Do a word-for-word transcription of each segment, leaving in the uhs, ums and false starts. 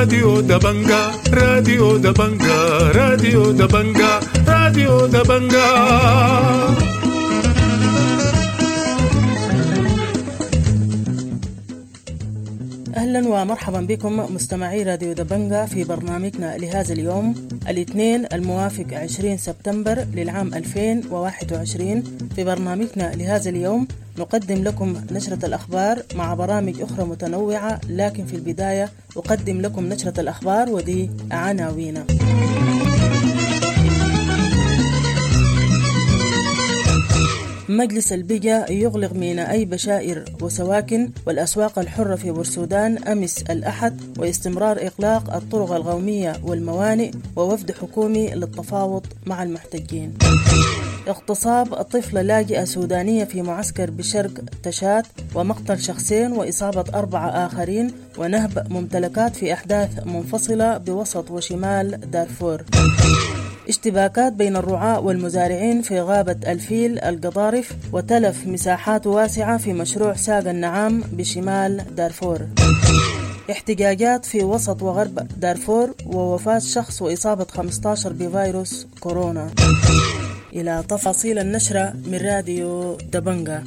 راديو دبنجا، راديو دبنجا، راديو دبنجا، راديو دبنجا. أهلا ومرحبا بكم مستمعي راديو دبنجا في برنامجنا لهذا اليوم الاثنين الموافق عشرين سبتمبر للعام ألفين وواحد وعشرين. في برنامجنا لهذا اليوم نقدم لكم نشرة الأخبار مع برامج أخرى متنوعة، لكن في البداية أقدم لكم نشرة الأخبار ودي عناوين. مجلس البجا يغلق ميناء بشائر وسواكن والأسواق الحرة في بورسودان أمس الأحد، واستمرار إغلاق الطرق القومية والموانئ، ووفد حكومي للتفاوض مع المحتجين. اغتصاب طفلة لاجئة سودانية في معسكر بشرق تشاد، ومقتل شخصين وإصابة أربعة آخرين، ونهب ممتلكات في أحداث منفصلة بوسط وشمال دارفور. اشتباكات بين الرعاة والمزارعين في غابة الفيل القضارف، وتلف مساحات واسعة في مشروع ساق النعام بشمال دارفور. احتجاجات في وسط وغرب دارفور، ووفاة شخص وإصابة خمسة عشر بفيروس كورونا. إلى تفاصيل النشرة من راديو دبنجا.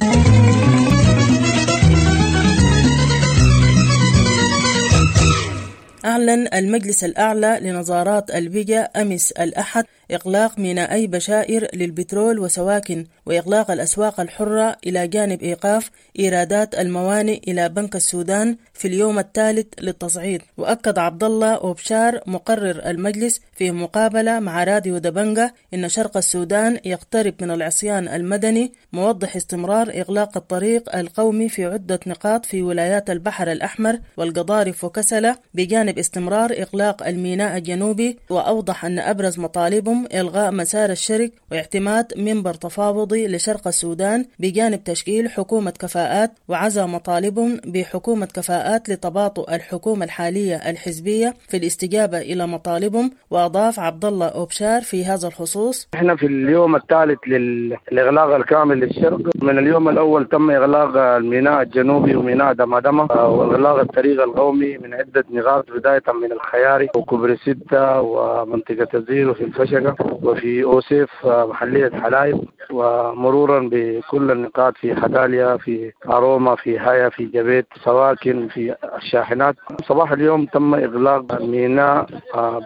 أعلن المجلس الأعلى لنظارات البجا أمس الأحد إغلاق ميناء بشائر للبترول وسواكن، وإغلاق الأسواق الحرة، إلى جانب إيقاف إيرادات الموانئ إلى بنك السودان في اليوم الثالث للتصعيد. وأكد عبد الله أوبشار مقرر المجلس في مقابلة مع راديو دبنجا إن شرق السودان يقترب من العصيان المدني، موضح استمرار إغلاق الطريق القومي في عدة نقاط في ولايات البحر الأحمر والقضارف وكسلة، بجانب استمرار إغلاق الميناء الجنوبي. وأوضح أن أبرز مطالبهم إلغاء مسار الشرق واعتماد منبر تفاوضي لشرق السودان، بجانب تشكيل حكومة كفاءات، وعزى مطالبهم بحكومة كفاءات لتباطؤ الحكومة الحالية الحزبية في الاستجابة إلى مطالبهم. وأضاف عبد الله أوبشار في هذا الخصوص: احنا في اليوم الثالث للإغلاق الكامل للشرق. من اليوم الأول تم إغلاق الميناء الجنوبي وميناء دمادمة، وإغلاق الطريق القومي من عدة نقاط، بداية من الخياري وكوبري ستة ومنطقة الزير وفي الفشقة وفي أوسيف محلية حلايب، ومرورا بكل النقاط في حداليا، في أروما، في هايا، في جبيت، سواكن، في الشاحنات. صباح اليوم تم إغلاق ميناء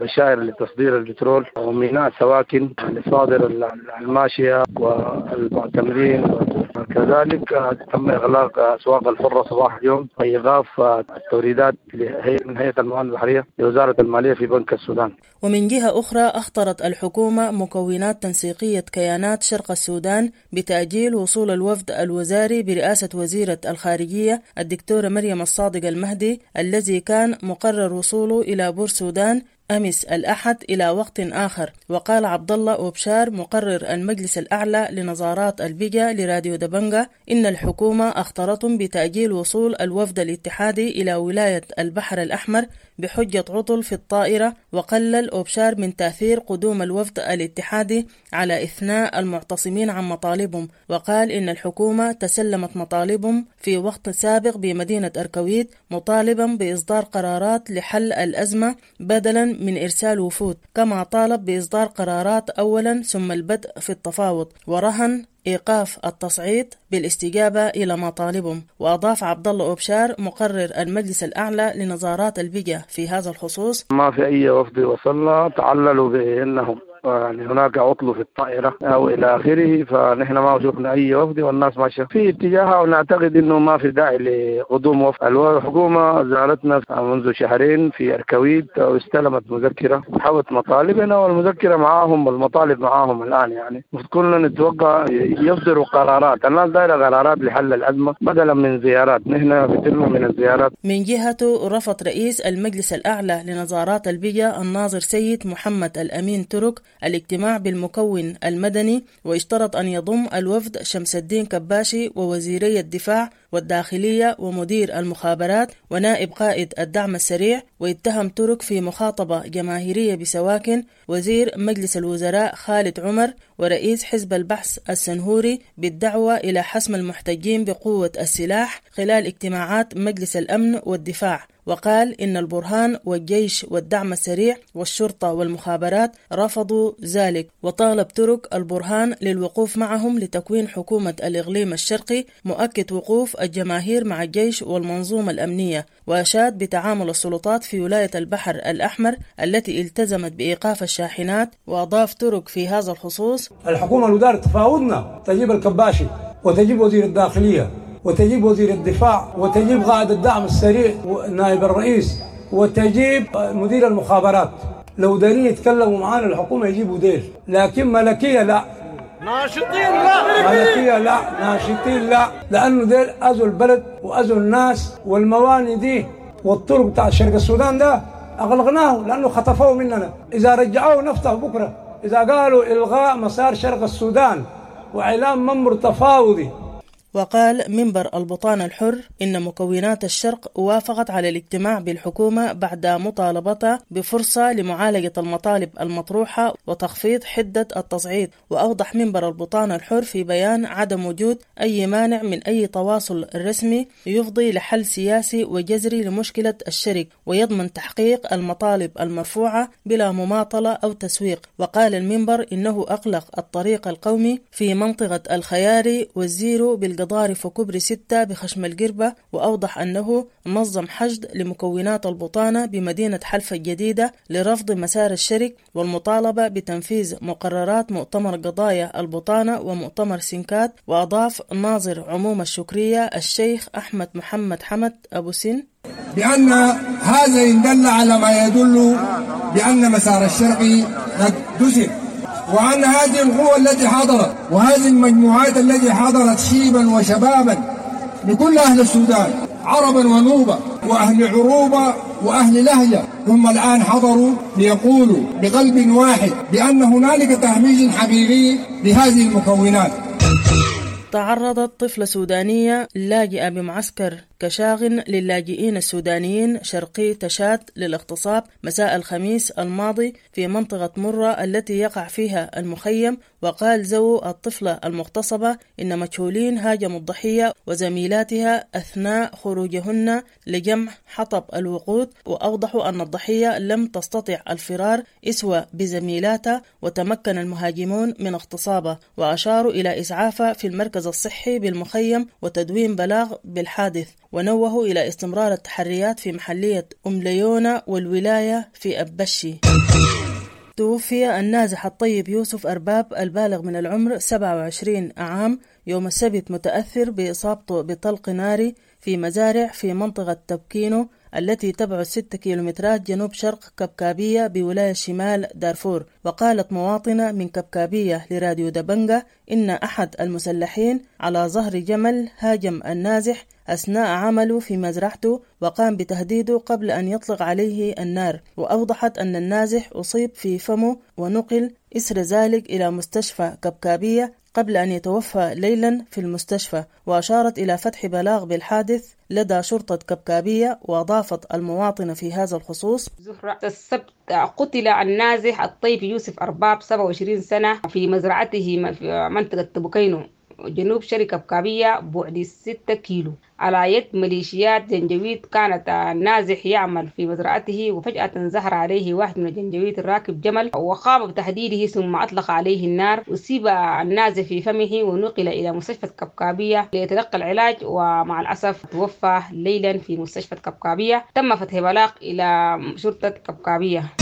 بشائر لتصدير البترول وميناء سواكن لصادر الماشية والمعتمرين. كذلك تم إغلاق أسواق الحرة صباح اليوم وإيقاف التوريدات من هيئة الموانئ البحرية لوزارة المالية في بنك السودان. ومن جهة أخرى، أخطرت الحكومة مكونات تنسيقية كيانات شرق السودان بتأجيل وصول الوفد الوزاري برئاسة وزيرة الخارجية الدكتورة مريم الصادق المهدي الذي كان مقرر وصوله إلى بورسودان أمس الأحد إلى وقت آخر. وقال عبد الله أوبشار مقرر المجلس الأعلى لنظارات البجا لراديو دبنجا إن الحكومة أخطرتهم بتأجيل وصول الوفد الاتحادي إلى ولاية البحر الأحمر بحجة عطل في الطائرة. وقلل أوبشار من تأثير قدوم الوفد الاتحادي على إثناء المعتصمين عن مطالبهم، وقال إن الحكومة تسلمت مطالبهم في وقت سابق بمدينة أركويت، مطالبا بإصدار قرارات لحل الأزمة بدلا من إرسال وفود، كما طالب بإصدار قرارات أولا ثم البدء في التفاوض، ورهن إيقاف التصعيد بالاستجابة إلى مطالبهم. وأضاف عبد الله أوبشار مقرر المجلس الأعلى لنظارات البجا في هذا الخصوص: ما في أي وفد وصلنا، تعللوا بأنهم يعني هناك عطل في الطائرة أو إلى آخره، فنحن ما شفنا أي وفد والناس ماشية في اتجاهها، ونعتقد إنه ما في داعي لقدوم وفد. الحكومة زارتنا منذ شهرين في أركويت واستلمت مذكرة حوت مطالبنا، والمذكرة معاهم والمطالب معاهم الآن. يعني كلنا نتوقع يصدروا قرارات، الناس دايرة قرارات لحل الأزمة بدلا من زيارات، نحن فترنا من الزيارات. من جهته رفض رئيس المجلس الأعلى لنظارات البجا الناظر سيد محمد الأمين ترك الاجتماع بالمكون المدني، واشترط أن يضم الوفد شمس الدين كباشي ووزيري الدفاع والداخلية ومدير المخابرات ونائب قائد الدعم السريع. واتهم ترك في مخاطبة جماهيرية بسواكن وزير مجلس الوزراء خالد عمر ورئيس حزب البحث السنهوري بالدعوة إلى حسم المحتجين بقوة السلاح خلال اجتماعات مجلس الأمن والدفاع. وقال إن البرهان والجيش والدعم السريع والشرطة والمخابرات رفضوا ذلك. وطالب ترك البرهان للوقوف معهم لتكوين حكومة الإقليم الشرقي، مؤكد وقوف الجماهير مع الجيش والمنظومة الأمنية. وأشاد بتعامل السلطات في ولاية البحر الأحمر التي التزمت بإيقاف الشاحنات. وأضاف ترك في هذا الخصوص: الحكومة الودار تفاوضنا، تجيب الكباشي وتجيب وزير الداخلية وتجيب وزير الدفاع وتجيب قائد الدعم السريع ونائب الرئيس وتجيب مدير المخابرات. لو دارين يتكلموا معانا الحكومة يجيبوا ديل، لكن ملكية لا، ناشطين لا، ملكية لا، ناشطين لا، لأنه ديل أذوا البلد وأذوا الناس. والمواني دي والطرق بتاع شرق السودان ده أغلقناه لأنه خطفوه مننا. إذا رجعوه نفتح بكرة. إذا قالوا إلغاء مسار شرق السودان وإعلان منبر تفاوضي. وقال منبر البطانة الحر إن مكونات الشرق وافقت على الاجتماع بالحكومة بعد مطالبتها بفرصة لمعالجة المطالب المطروحة وتخفيض حدة التصعيد. وأوضح منبر البطانة الحر في بيان عدم وجود أي مانع من أي تواصل رسمي يفضي لحل سياسي وجذري لمشكلة الشرق ويضمن تحقيق المطالب المرفوعة بلا مماطلة أو تسويق. وقال المنبر إنه أغلق الطريق القومي في منطقة الخياري والزيرو بالقضاء ضارف وكبري ستة بخشم القربة. وأوضح أنه نظم حشد لمكونات البطانة بمدينة حلفة الجديدة لرفض مسار الشرق والمطالبة بتنفيذ مقررات مؤتمر قضايا البطانة ومؤتمر سنكات. وأضاف ناظر عموم الشكرية الشيخ أحمد محمد حمد أبو سن بأن هذا إن دل على ما يدل بأن مسار الشرق قد دسر، وأن هذه القوى التي حضرت وهذه المجموعات التي حضرت شيبا وشبابا لكل أهل السودان عربا ونوبة وأهل عروبة وأهل لهجة هم الآن حضروا ليقولوا بقلب واحد بأن هنالك تهميش حقيقي لهذه المكونات. تعرضت طفلة سودانية لاجئة بمعسكر كشاغن للاجئين السودانيين شرقي تشاد للاغتصاب مساء الخميس الماضي في منطقة مرة التي يقع فيها المخيم. وقال زو الطفلة المغتصبة إن مجهولين هاجموا الضحية وزميلاتها أثناء خروجهن لجمع حطب الوقود، وأوضحوا أن الضحية لم تستطع الفرار إسوة بزميلاتها وتمكن المهاجمون من اغتصابها، وأشاروا إلى إسعافها في المركز الصحي بالمخيم وتدوين بلاغ بالحادث. ونوهوا إلى استمرار التحريات في محلية أم ليونة والولاية في أبشي. توفي النازح الطيب يوسف أرباب البالغ من العمر سبعة وعشرين عام يوم السبت متأثر بإصابته بطلق ناري في مزارع في منطقة تبكينو التي تبعد ستة كيلومترات جنوب شرق كبكابية بولاية شمال دارفور. وقالت مواطنة من كبكابية لراديو دبنجة إن أحد المسلحين على ظهر جمل هاجم النازح أثناء عمله في مزرعته وقام بتهديده قبل أن يطلق عليه النار. وأوضحت أن النازح أصيب في فمه ونقل إثر ذلك إلى مستشفى كبكابية قبل أن يتوفى ليلا في المستشفى. وأشارت إلى فتح بلاغ بالحادث لدى شرطة كبكابية. وأضافت المواطنة في هذا الخصوص: زهرة السبت قتل النازح الطيب يوسف أرباب سبعة وعشرين سنة في مزرعته في منطقة تبوكينو جنوب شرق كبكابية بعد ستة كيلو على يد ميليشيات جنجويد. كانت النازح يعمل في مزرعته وفجأة ظهر عليه واحد من الجنجويد الراكب جمل وقام بتهديده ثم أطلق عليه النار. أصيب النازح في فمه ونقل إلى مستشفى كبكابية ليتلقى العلاج، ومع الأسف توفى ليلا في مستشفى كبكابية. تم فتح بلاغ إلى شرطة كبكابية.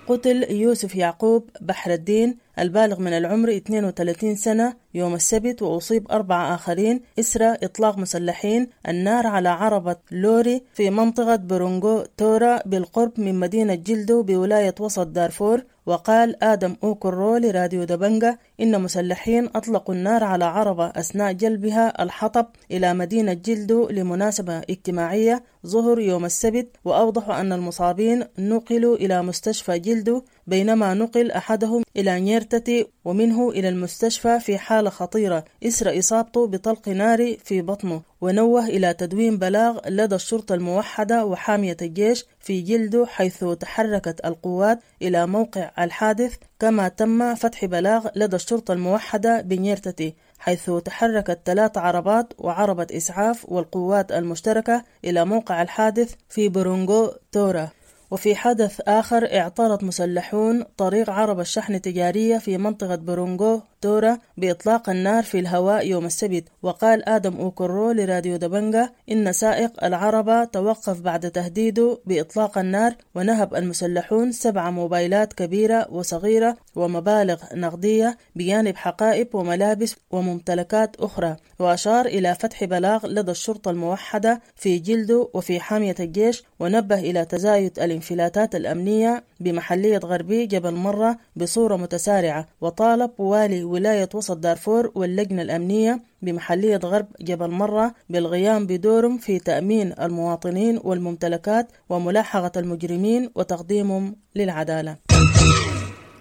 قتل يوسف يعقوب بحر الدين البالغ من العمر اثنين وثلاثين سنة يوم السبت، وأصيب أربعة آخرين إثر إطلاق مسلحين النار على عربة لوري في منطقة برونغو تورا بالقرب من مدينة جلدو بولاية وسط دارفور. وقال آدم أوكرو لراديو دبنجة إن مسلحين أطلقوا النار على عربة أثناء جلبها الحطب إلى مدينة جلدو لمناسبة اجتماعية ظهر يوم السبت. وأوضحوا أن المصابين نقلوا إلى مستشفى جلدو، بينما نقل أحدهم إلى نيرتتي ومنه إلى المستشفى في حالة خطيرة إثر إصابته بطلق ناري في بطنه. ونوه إلى تدوين بلاغ لدى الشرطة الموحدة وحامية الجيش في جلده حيث تحركت القوات إلى موقع الحادث، كما تم فتح بلاغ لدى الشرطة الموحدة بنيرتتي حيث تحركت ثلاث عربات وعربة إسعاف والقوات المشتركة إلى موقع الحادث في برونغو تورا. وفي حدث آخر، اعترض مسلحون طريق عربة شحن تجارية في منطقة برونغو تورا بإطلاق النار في الهواء يوم السبت. وقال آدم أوكرو لراديو دبنجة إن سائق العربة توقف بعد تهديده بإطلاق النار، ونهب المسلحون سبع موبايلات كبيرة وصغيرة ومبالغ نقدية بجانب حقائب وملابس وممتلكات أخرى. وأشار إلى فتح بلاغ لدى الشرطة الموحدة في جلده وفي حامية الجيش، ونبه إلى تزايد الانفلاتات الأمنية بمحلية غربي جبل مرة بصورة متسارعة، وطالب والي ولاية وسط دارفور واللجنة الأمنية بمحلية غرب جبل مرة بالقيام بدورهم في تأمين المواطنين والممتلكات وملاحقة المجرمين وتقديمهم للعدالة.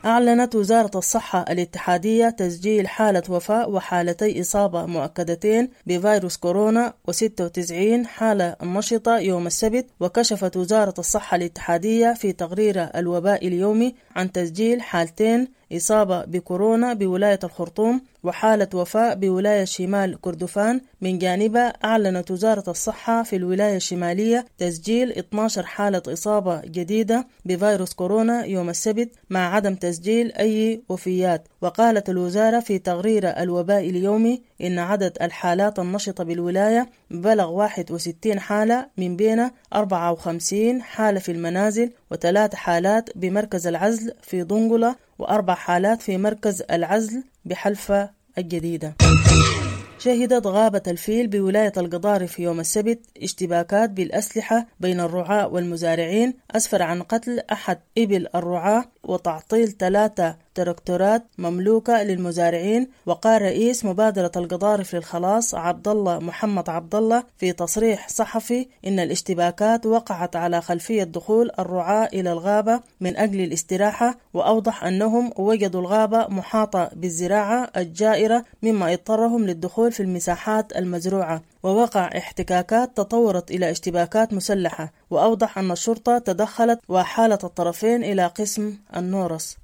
أعلنت وزارة الصحة الاتحادية تسجيل حالة وفاة وحالتي إصابة مؤكدتين بفيروس كورونا وستة وتسعين حالة نشطة يوم السبت. وكشفت وزارة الصحة الاتحادية في تقرير الوباء اليومي عن تسجيل حالتين إصابة بكورونا بولاية الخرطوم وحالة وفاة بولاية شمال كردفان. من جانبها أعلنت وزارة الصحة في الولاية الشمالية تسجيل اثنتي عشرة حالة إصابة جديدة بفيروس كورونا يوم السبت مع عدم تسجيل أي وفيات. وقالت الوزارة في تقرير الوباء اليومي إن عدد الحالات النشطة بالولاية بلغ واحد وستين حالة، من بين أربعة وخمسين حالة في المنازل وثلاث حالات بمركز العزل في دنقلة وأربع حالات في مركز العزل بحلفة الجديدة. شهدت غابة الفيل بولاية القضارف في يوم السبت اشتباكات بالأسلحة بين الرعاة والمزارعين أسفر عن قتل أحد إبل الرعاة وتعطيل ثلاثة تراكتورات مملوكة للمزارعين. وقال رئيس مبادرة القضارف للخلاص عبد الله محمد عبد الله في تصريح صحفي إن الاشتباكات وقعت على خلفية دخول الرعاة إلى الغابة من أجل الاستراحة، وأوضح أنهم وجدوا الغابة محاطة بالزراعة الجائرة مما اضطرهم للدخول في المساحات المزروعة، ووقع احتكاكات تطورت إلى اشتباكات مسلحة. وأوضح أن الشرطة تدخلت وحالت الطرفين إلى قسم النورس.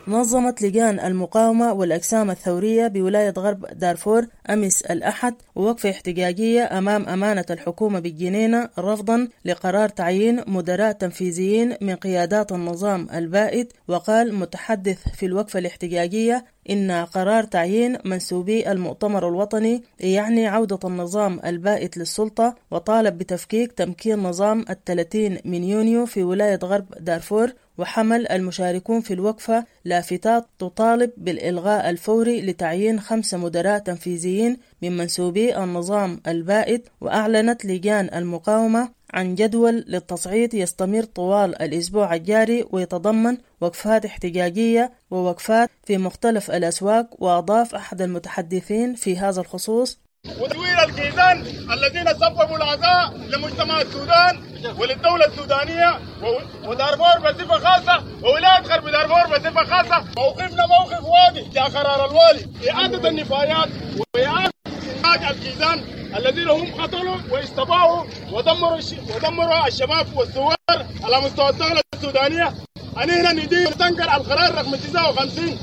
نظمت لجان المقاومة والأجسام الثورية بولاية غرب دارفور أمس الأحد وقفة احتجاجية أمام أمانة الحكومة بالجنينة رفضا لقرار تعيين مدراء تنفيذيين من قيادات النظام البائد. وقال متحدث في الوقفة الاحتجاجية إن قرار تعيين منسوبي المؤتمر الوطني يعني عودة النظام البائد للسلطة، وطالب بتفكيك تمكين نظام الثلاثين من يونيو في ولاية غرب دارفور. وحمل المشاركون في الوقفة لافتات تطالب بالإلغاء الفوري لتعيين خمسة مدراء تنفيذيين من منسوبي النظام البائد. وأعلنت لجان المقاومة عن جدول للتصعيد يستمر طوال الأسبوع الجاري ويتضمن وقفات احتجاجية ووقفات في مختلف الأسواق. وأضاف أحد المتحدثين في هذا الخصوص: وتدوير الكيزان الذين سببوا العزاء لمجتمع السودان وللدولة السودانية ودارفور بصفة خاصة وولاية غرب دارفور بصفة خاصة. موقفنا موقف واضح يا قرار الوالي، إعادة النفايات وإعادة إنتاج الكيزان الذين هم قتلوا واستباحوا ودمروا ودمروا الشباب والثوار على مستوى الدولة السودانية. أنا هنا ندين نستنكر القرار رقم تسعة وخمسين.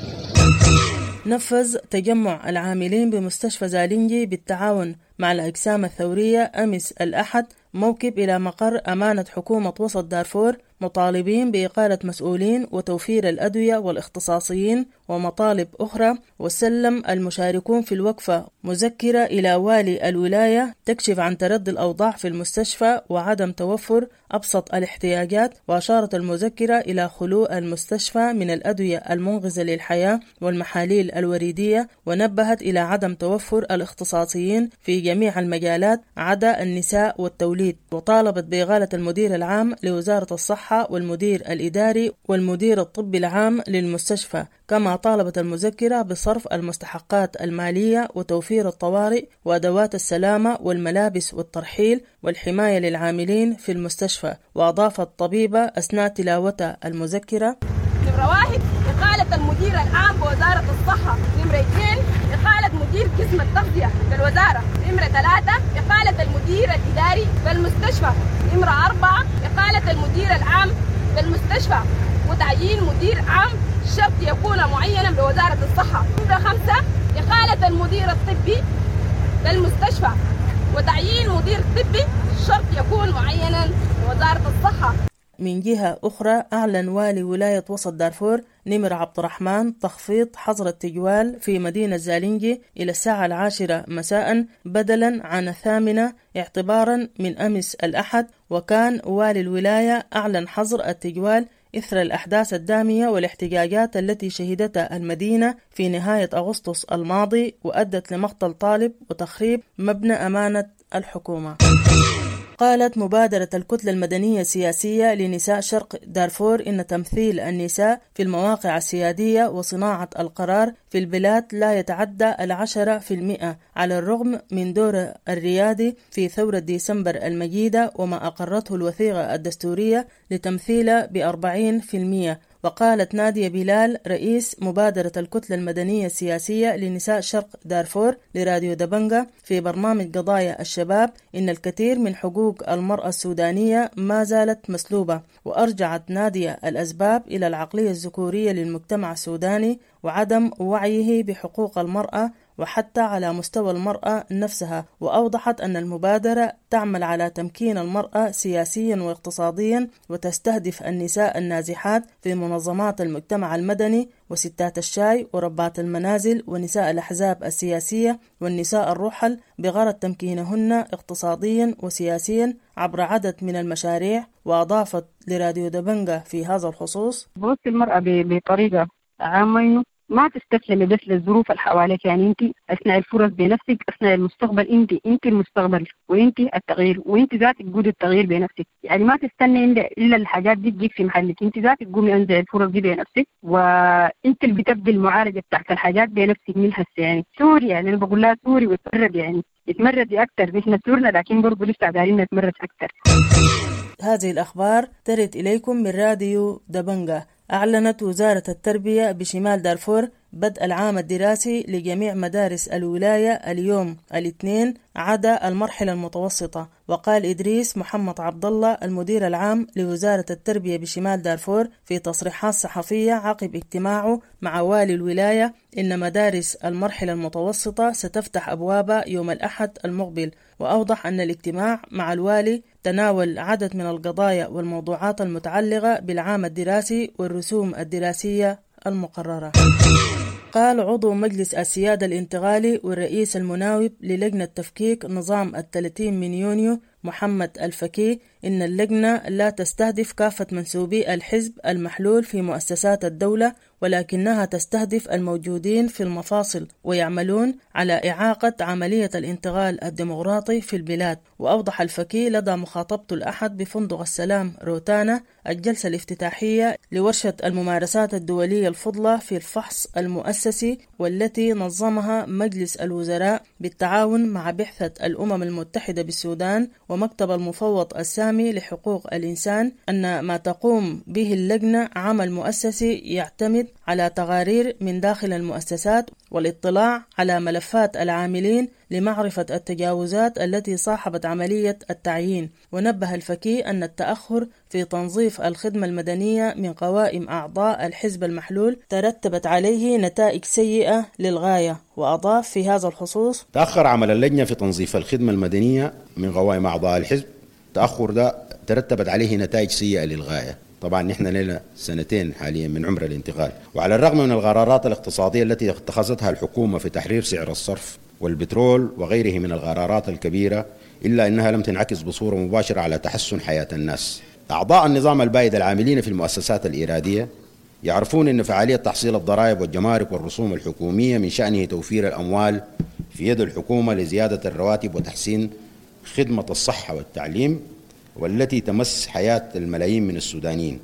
نفذ تجمع العاملين بمستشفى زالينجي بالتعاون مع الأجسام الثورية أمس الأحد موكب إلى مقر أمانة حكومة وسط دارفور مطالبين بإقالة مسؤولين وتوفير الأدوية والاختصاصيين ومطالب أخرى. وسلم المشاركون في الوقفة مذكرة إلى والي الولاية تكشف عن تردي الأوضاع في المستشفى وعدم توفر أبسط الاحتياجات. وأشارت المذكرة إلى خلو المستشفى من الأدوية المنقذة للحياة والمحاليل الوريدية، ونبهت إلى عدم توفر الاختصاصيين في جميع المجالات عدا النساء والتوليد. وطالبت بإغالة المدير العام لوزارة الصحة والمدير الإداري والمدير الطبي العام للمستشفى. كما طالبت المذكرة بصرف المستحقات المالية وتوفير الطوارئ وأدوات السلامة والملابس والترحيل والحماية للعاملين في المستشفى. وأضافت الطبيبة أثناء تلاوتها المذكرة: نمرة واحد، إقالة المدير العام بوزارة الصحة. نمرة اثنين، إقالة مدير قسم التغذية بالوزارة. نمرة ثلاثة، إقالة المدير الإداري بالمستشفى. نمرة أربعة، إقالة المدير العام بالمستشفى وتعيين مدير عام شرط يكون معينا بوزارة الصحة. نمرة خمسة، إقالة المدير الطبي بالمستشفى وتعيين مدير طبي شرط يكون معينا لوزارة الصحة. من جهة أخرى، أعلن والي ولاية وسط دارفور نمر عبد الرحمن تخفيض حظر التجوال في مدينة زالينجي إلى الساعة العاشرة مساء بدلا عن الثامنة اعتبارا من أمس الأحد. وكان والي الولاية أعلن حظر التجوال إثر الأحداث الدامية والاحتجاجات التي شهدتها المدينة في نهاية أغسطس الماضي وأدت لمقتل طالب وتخريب مبنى أمانة الحكومة. قالت مبادرة الكتلة المدنية السياسية لنساء شرق دارفور إن تمثيل النساء في المواقع السيادية وصناعة القرار في البلاد لا يتعدى العشرة في المئة على الرغم من دور الريادي في ثورة ديسمبر المجيدة وما أقرته الوثيقة الدستورية لتمثيله بأربعين في المئة. وقالت نادية بلال رئيس مبادرة الكتلة المدنية السياسية لنساء شرق دارفور لراديو دبنجة في برنامج قضايا الشباب إن الكثير من حقوق المرأة السودانية ما زالت مسلوبة. وأرجعت نادية الأسباب إلى العقلية الذكورية للمجتمع السوداني وعدم وعيه بحقوق المرأة وحتى على مستوى المرأة نفسها. وأوضحت أن المبادرة تعمل على تمكين المرأة سياسيا واقتصاديا وتستهدف النساء النازحات في منظمات المجتمع المدني وستات الشاي وربات المنازل ونساء الأحزاب السياسية والنساء الرحل بغرض تمكينهن اقتصاديا وسياسيا عبر عدد من المشاريع. وأضافت لراديو دبنجة في هذا الخصوص: بص المرأة بطريقة عامة ما تستسلمي بس للظروف اللي حواليك، يعني انت اصنعي الفرص بنفسك، اصنعي المستقبل، انت انت المستقبل وانت التغيير وانت ذاتك قودي التغيير بنفسك، يعني ما تستني الا الحاجات دي تجيك في محلك، انت ذاتك قومي انزعي الفرص دي بنفسك وانت اللي بتبدي المعالجه بتاعت الحاجات بنفسك من هسه. يعني ثوري، يعني انا بقول لها ثوري وتمرد، يعني اتمردي اكثر، نحن ثورنا لكن برضه لسه دايرين نتمرد اكثر. هذه الاخبار ترد اليكم من راديو دبنجة. أعلنت وزارة التربية بشمال دارفور بدء العام الدراسي لجميع مدارس الولاية اليوم الاثنين عدا المرحلة المتوسطة. وقال إدريس محمد عبد الله المدير العام لوزارة التربية بشمال دارفور في تصريحات صحفية عقب اجتماعه مع والي الولاية إن مدارس المرحلة المتوسطة ستفتح أبوابها يوم الأحد المقبل. وأوضح أن الاجتماع مع الوالي تناول عدد من القضايا والموضوعات المتعلقة بالعام الدراسي والرسوم الدراسية المقررة. قال عضو مجلس السيادة الانتقالي والرئيس المناوب للجنة تفكيك نظام الثلاثين من يونيو محمد الفكي إن اللجنة لا تستهدف كافة منسوبي الحزب المحلول في مؤسسات الدولة، ولكنها تستهدف الموجودين في المفاصل ويعملون على إعاقة عملية الانتقال الديمقراطي في البلاد. وأوضح الفكي لدى مخاطبته الأحد بفندق السلام روتانا الجلسة الافتتاحية لورشة الممارسات الدولية الفضلى في الفحص المؤسسي والتي نظمها مجلس الوزراء بالتعاون مع بعثة الأمم المتحدة بالسودان ومكتب المفوض السامي لحقوق الإنسان، أن ما تقوم به اللجنة عمل مؤسسي يعتمد على تقارير من داخل المؤسسات والاطلاع على ملفات العاملين لمعرفة التجاوزات التي صاحبت عملية التعيين. ونبه الفكي أن التأخر في تنظيف الخدمة المدنية من قوائم أعضاء الحزب المحلول ترتبت عليه نتائج سيئة للغاية. وأضاف في هذا الخصوص: تأخر عمل اللجنة في تنظيف الخدمة المدنية من قوائم أعضاء الحزب، تأخر ده ترتبت عليه نتائج سيئة للغاية. طبعا نحن لنا سنتين حاليا من عمر الانتقال، وعلى الرغم من القرارات الاقتصادية التي اتخذتها الحكومة في تحرير سعر الصرف والبترول وغيره من القرارات الكبيرة، إلا أنها لم تنعكس بصورة مباشرة على تحسن حياة الناس. أعضاء النظام البائد العاملين في المؤسسات الإيرادية يعرفون أن فعالية تحصيل الضرائب والجمارك والرسوم الحكومية من شأنه توفير الأموال في يد الحكومة لزيادة الرواتب وتحسين خدمة الصحة والتعليم، والتي تمس حياة الملايين من السودانيين.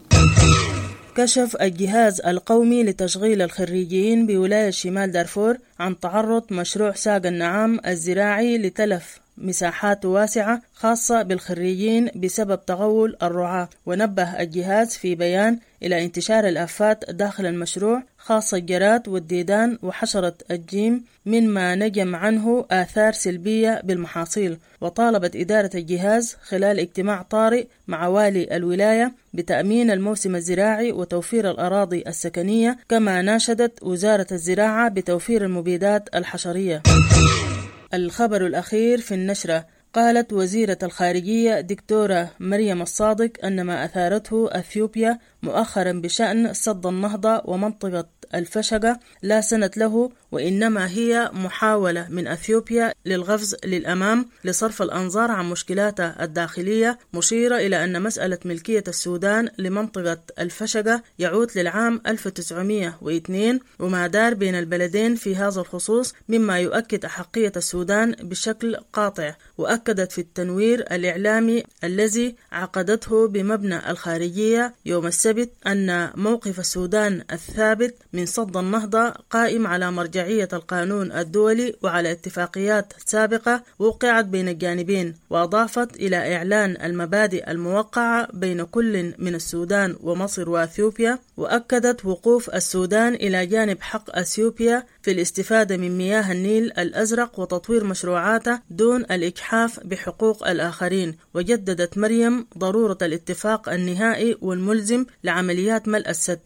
كشف الجهاز القومي لتشغيل الخريجين بولاية شمال دارفور عن تعرض مشروع ساق النعام الزراعي لتلف مساحات واسعة خاصة بالخريجين بسبب تغول الرعاة. ونبه الجهاز في بيان إلى انتشار الآفات داخل المشروع، خاصة الجراد والديدان وحشرة الجيم، مما نجم عنه آثار سلبية بالمحاصيل. وطالبت إدارة الجهاز خلال اجتماع طارئ مع والي الولاية بتأمين الموسم الزراعي وتوفير الأراضي السكنية، كما ناشدت وزارة الزراعة بتوفير المبيدات الحشرية. الخبر الأخير في النشرة: قالت وزيرة الخارجية دكتورة مريم الصادق أن ما أثارته أثيوبيا مؤخرا بشأن سد النهضة ومنطقة الفشقة لا سند له، وإنما هي محاولة من أثيوبيا للغفز للأمام لصرف الأنظار عن مشكلاتها الداخلية، مشيرة إلى أن مسألة ملكية السودان لمنطقة الفشقة يعود للعام ألف وتسعمائة واثنين وما دار بين البلدين في هذا الخصوص، مما يؤكد أحقية السودان بشكل قاطع. وأكدت في التنوير الإعلامي الذي عقدته بمبنى الخارجية يوم السبت أن موقف السودان الثابت من صد النهضة قائم على مرجعية القانون الدولي وعلى اتفاقيات سابقة وقعت بين الجانبين. وأضافت إلى إعلان المبادئ الموقعة بين كل من السودان ومصر وأثيوبيا، وأكدت وقوف السودان إلى جانب حق أثيوبيا في الاستفادة من مياه النيل الأزرق وتطوير مشروعاته دون الإجحاف بحقوق الآخرين. وجددت مريم ضرورة الاتفاق النهائي والملزم لعمليات ملء السد.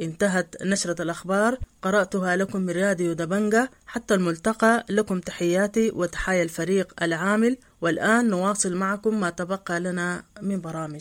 انتهت نشرة الأخبار، قرأتها لكم من راديو دبنجة. حتى الملتقى، لكم تحياتي وتحايا الفريق العامل، والآن نواصل معكم ما تبقى لنا من برامج.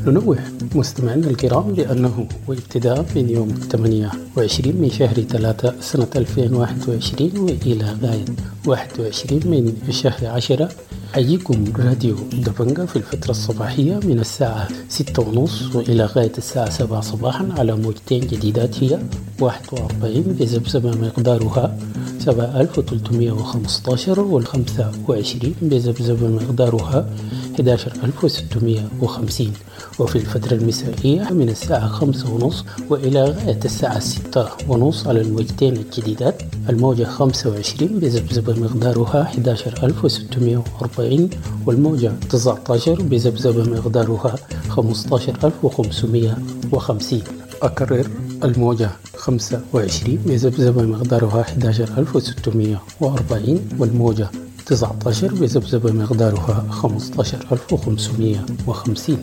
ننوه مستمعينا الكرام لأنه وابتداء من يوم ثمانية وعشرين من شهر ثلاثة سنة ألفين وواحد وعشرين وإلى غاية واحد وعشرين من شهر عشرة حييكم راديو دبنجة في الفترة الصباحية من الساعة ستة ونص وإلى غاية الساعة سبعة صباحا على موجتين جديدات، هي واحد وأربعين بذبذبة مقدارها سبعة ألف وثلاثمائة وخمسة عشر والخمسة وعشرين بذبذبة مقدارها أحد عشر ألف وستمائة وخمسين. وفي الفترة المسائية من الساعة خمسة ونص وإلى غاية الساعة ستة ونص على الموجتين الجديدات، الموجة خمسة وعشرين بذبذبة مقدارها أحد عشر ألف وستمائة وأربعين والموجة تسعة عشر بذبذبة مقدارها خمسة عشر ألف وخمسمائة وخمسين. أكرر، الموجة خمسة وعشرين بذبذبة مقدارها أحد عشر ألف وستمائة وأربعين والموجة تسعة عشر بذبذبة مقدارها خمسة عشر ألف وخمسمائة وخمسين.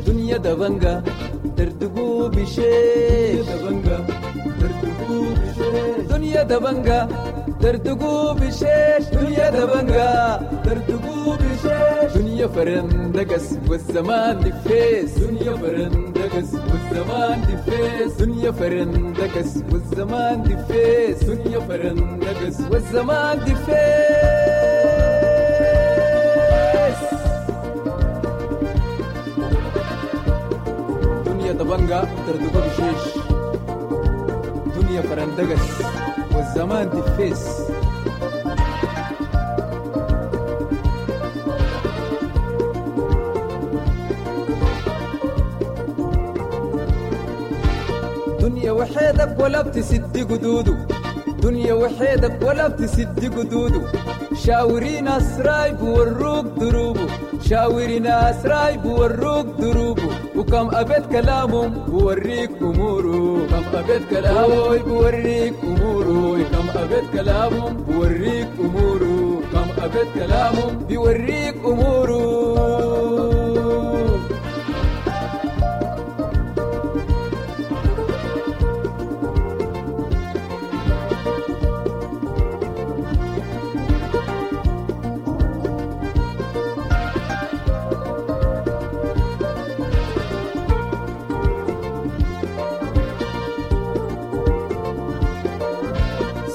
دنيا دبنجة تردقوا بشيش، دنيا دبنجة تردقوا بشيش، دنيا دبنجة تردقوا بشيش، دنيا فرندقس والزمان دفيس، دنيا فرندقس والزمان دفيس، دنيا فرندقس والزمان دفيس، دنيا فرندقس والزمان دفيس. دنيا دبنجة تردقوا بشيش، دنيا فرندقس والزمان دفيس. دنيا وحيدك ولا بتسد قدوده، دنيا وحيدك ولا بتسد قدوده، شاوري ناس رايب وروك دروبه، شاوري ناس رايب وروك دروبه، وكم أبيت كلامهم بوريك أموره، كم أبيت كلامه بوريك أموره، كم أبيت كلامهم بوريك أموره، كم أبيت كلامهم بيوريك أموره.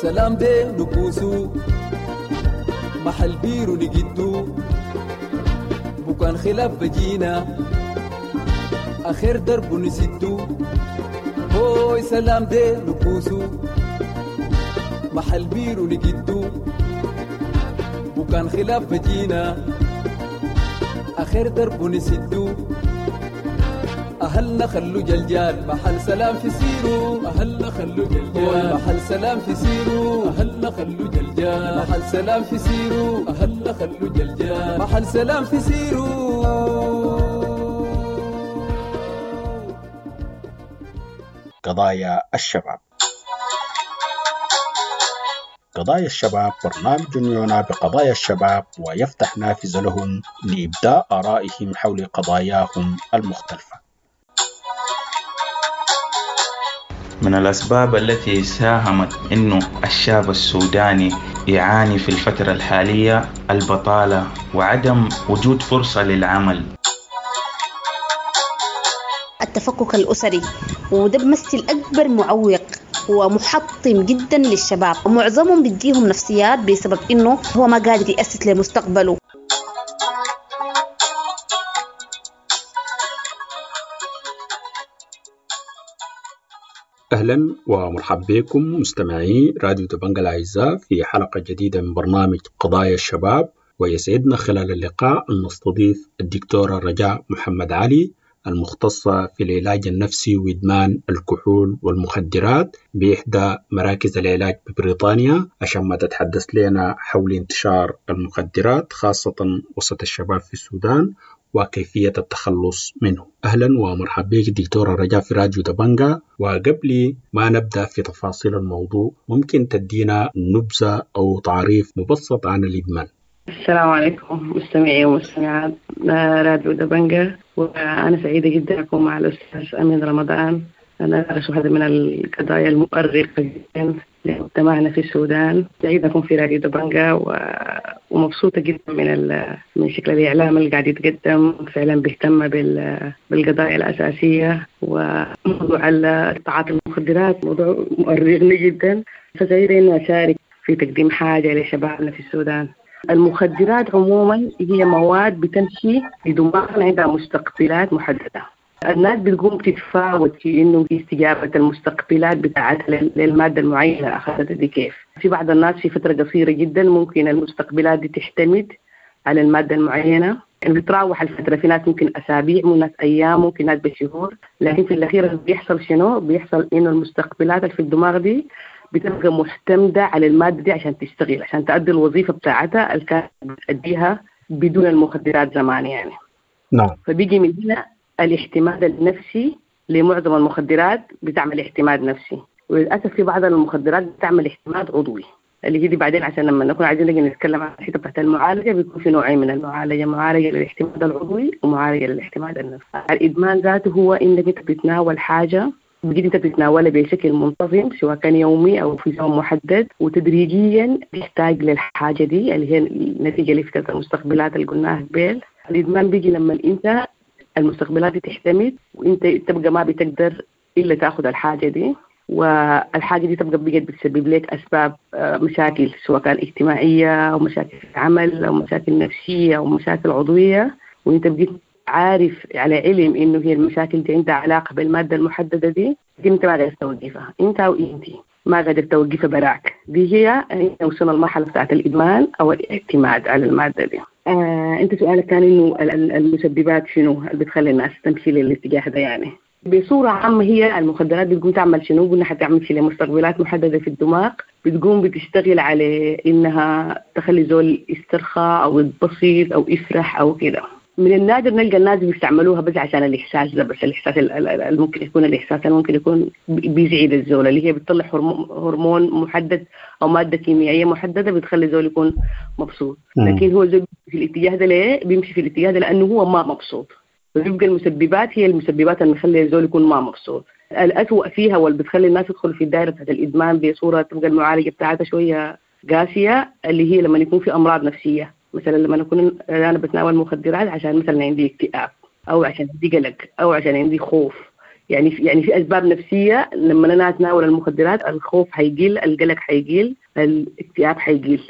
سلام دي نكوسو محل بيرو نجدو، بكان خلاف بجينا آخر درب نسدو، هوي سلام دي نكوسو محل بيرو نجدو، بكان خلاف بجينا آخر درب نسدو، أهلنا خلو جلجال محل سلام في سيرو، أهلنا خلو جلجال محل سلام في سيرو، أهلنا خلو جلجال محل سلام في سيرو، أهلنا خلو جلجال محل سلام في سيرو. قضايا الشباب. قضايا الشباب برنامج يعنى بقضايا الشباب ويفتح نافذة لهم لإبداء آرائهم حول قضاياهم المختلفة. من الأسباب التي ساهمت أنه الشاب السوداني يعاني في الفترة الحالية البطالة وعدم وجود فرصة للعمل. التفكك الأسري، وده بمثل أكبر معوق ومحطم جدا للشباب، ومعظمهم بيديهم نفسيات بسبب إنه هو ما قادر يأسس لمستقبله. أهلا ومرحبا بكم مستمعي راديو دبنجا الأعزاء في حلقة جديدة من برنامج قضايا الشباب، ويسعدنا خلال اللقاء أن نستضيف الدكتورة رجاء محمد علي المختصة في العلاج النفسي وإدمان الكحول والمخدرات بإحدى مراكز العلاج ببريطانيا، عشان ما تتحدث لنا حول انتشار المخدرات خاصة وسط الشباب في السودان وكيفية التخلص منه. أهلا ومرحبا بك دكتورة رجاء في راديو دبنجا. وقبل ما نبدأ في تفاصيل الموضوع، ممكن تدينا نبذة أو تعريف مبسط عن الإدمان؟ السلام عليكم مستمعي ومستمعات راديو دبنجا، وأنا سعيدة جدا أكون مع الأستاذ أمين رمضان. أنا أدرس واحدة من القضايا المؤرقة جدا لمجتمعنا في السودان. سعيدة أكون في راديو دبنجا و... ومبسوطة جدا من ال... من شكل الإعلام اللي قاعد يتقدم، فعلا بيهتم بال... بالقضايا الأساسية، وموضوع تعاطي المخدرات موضوع مؤرقني جدا، فسعيدة إني أشارك في تقديم حاجة لشبابنا في السودان. المخدرات عموما هي مواد بتمشي في دماغنا عندها مستقبلات محددة. الناس بتقوم تتفاوت في إنه استجابة المستقبلات بتاعتها للمادة المعينة أخذتها دي كيف. في بعض الناس في فترة قصيرة جدا ممكن المستقبلات دي تعتمد على المادة المعينة، يعني بتراوح الفترة، في ناس ممكن أسابيع، ممكن ناس أيام، ممكن ناس بشهور، لكن في الأخير بيحصل شنو؟ بيحصل إنه المستقبلات اللي في الدماغ دي بتبقى معتمدة على المادة دي عشان تشتغل، عشان تأدي الوظيفة بتاعتها اللي كانت بتأديها بدون المخدرات زمان يعني. نعم. فبيجي من هنا الاعتماد النفسي لمعظم المخدرات، بتعمل اعتماد نفسي، وللأسف في بعض المخدرات بتعمل اعتماد عضوي، اللي هي دي بعدين عشان لما نكون عايزين نجي نتكلم عن الحتة بتاعت المعالجة بيكون في نوعين من المعالجة، معالجة للاعتماد العضوي ومعالجة للاعتماد النفسي. الإدمان ذاته هو إنك أنت بتتناول حاجة بقيت انت بتتناولها بشكل منتظم سواء كان يومي او في زمن محدد، وتدريجيا تحتاج للحاجه دي اللي هي النتيجه لفكره المستقبلات اللي قلناها قبل. الادمان بيجي لما انت المستقبلات دي تعتمد وانت تبقى ما بتقدر الا تاخذ الحاجه دي، والحاجه دي تبقى بقت بتسبب لك اسباب مشاكل سواء كان اجتماعيه او مشاكل في العمل او مشاكل نفسيه او مشاكل عضويه، وانت بقيت عارف على علم انه هي المشاكل دي عندها علاقه بالماده المحدده دي، لكن انت ما قادر توقفها، انت او انت ما قادر توقفها براك. دي هي وصلنا المرحله بتاعت الادمان او الاعتماد على الماده دي. آه، انت سؤالك كان انه المسببات شنو اللي بتخلي الناس تمشي للاتجاه ده؟ يعني بصوره عامه هي المخدرات بتقوم تعمل شنو؟ قلنا حتعمل شيء لمستقبلات محدده في الدماغ، بتقوم بتشتغل على انها تخلي زول يسترخى او يتبسط او يفرح او كده. من النادر نلقى الناس بيستعملوها بس عشان الإحساس ده، بس الإحساس اللي ممكن يكون الإحساس اللي ممكن يكون بيزعج الزول، اللي هي بتطلع هرمون محدد أو مادة كيميائية محددة بتخلي الزول يكون مبسوط. لكن هو زول في الاتجاه ده ليه؟ بيمشي في الاتجاه ده لأنه هو ما مبسوط، فبيبقى المسببات هي المسببات اللي بتخلي الزول يكون ما مبسوط. الأسوأ فيها واللي بتخلي الناس تدخل في الدائرة بتاعت الإدمان بصورة تبقى المعالجة بتاعتها شوية قاسية، اللي هي لما يكون في أمراض نفسية. مثلا لما أكون أنا بتناول مخدرات عشان مثلا عندي اكتئاب أو عشان عندي قلق أو عشان عندي خوف، يعني في يعني في أسباب نفسية لما أنا أتناول المخدرات الخوف حيقل، القلق حيقل، الاكتئاب حيقل.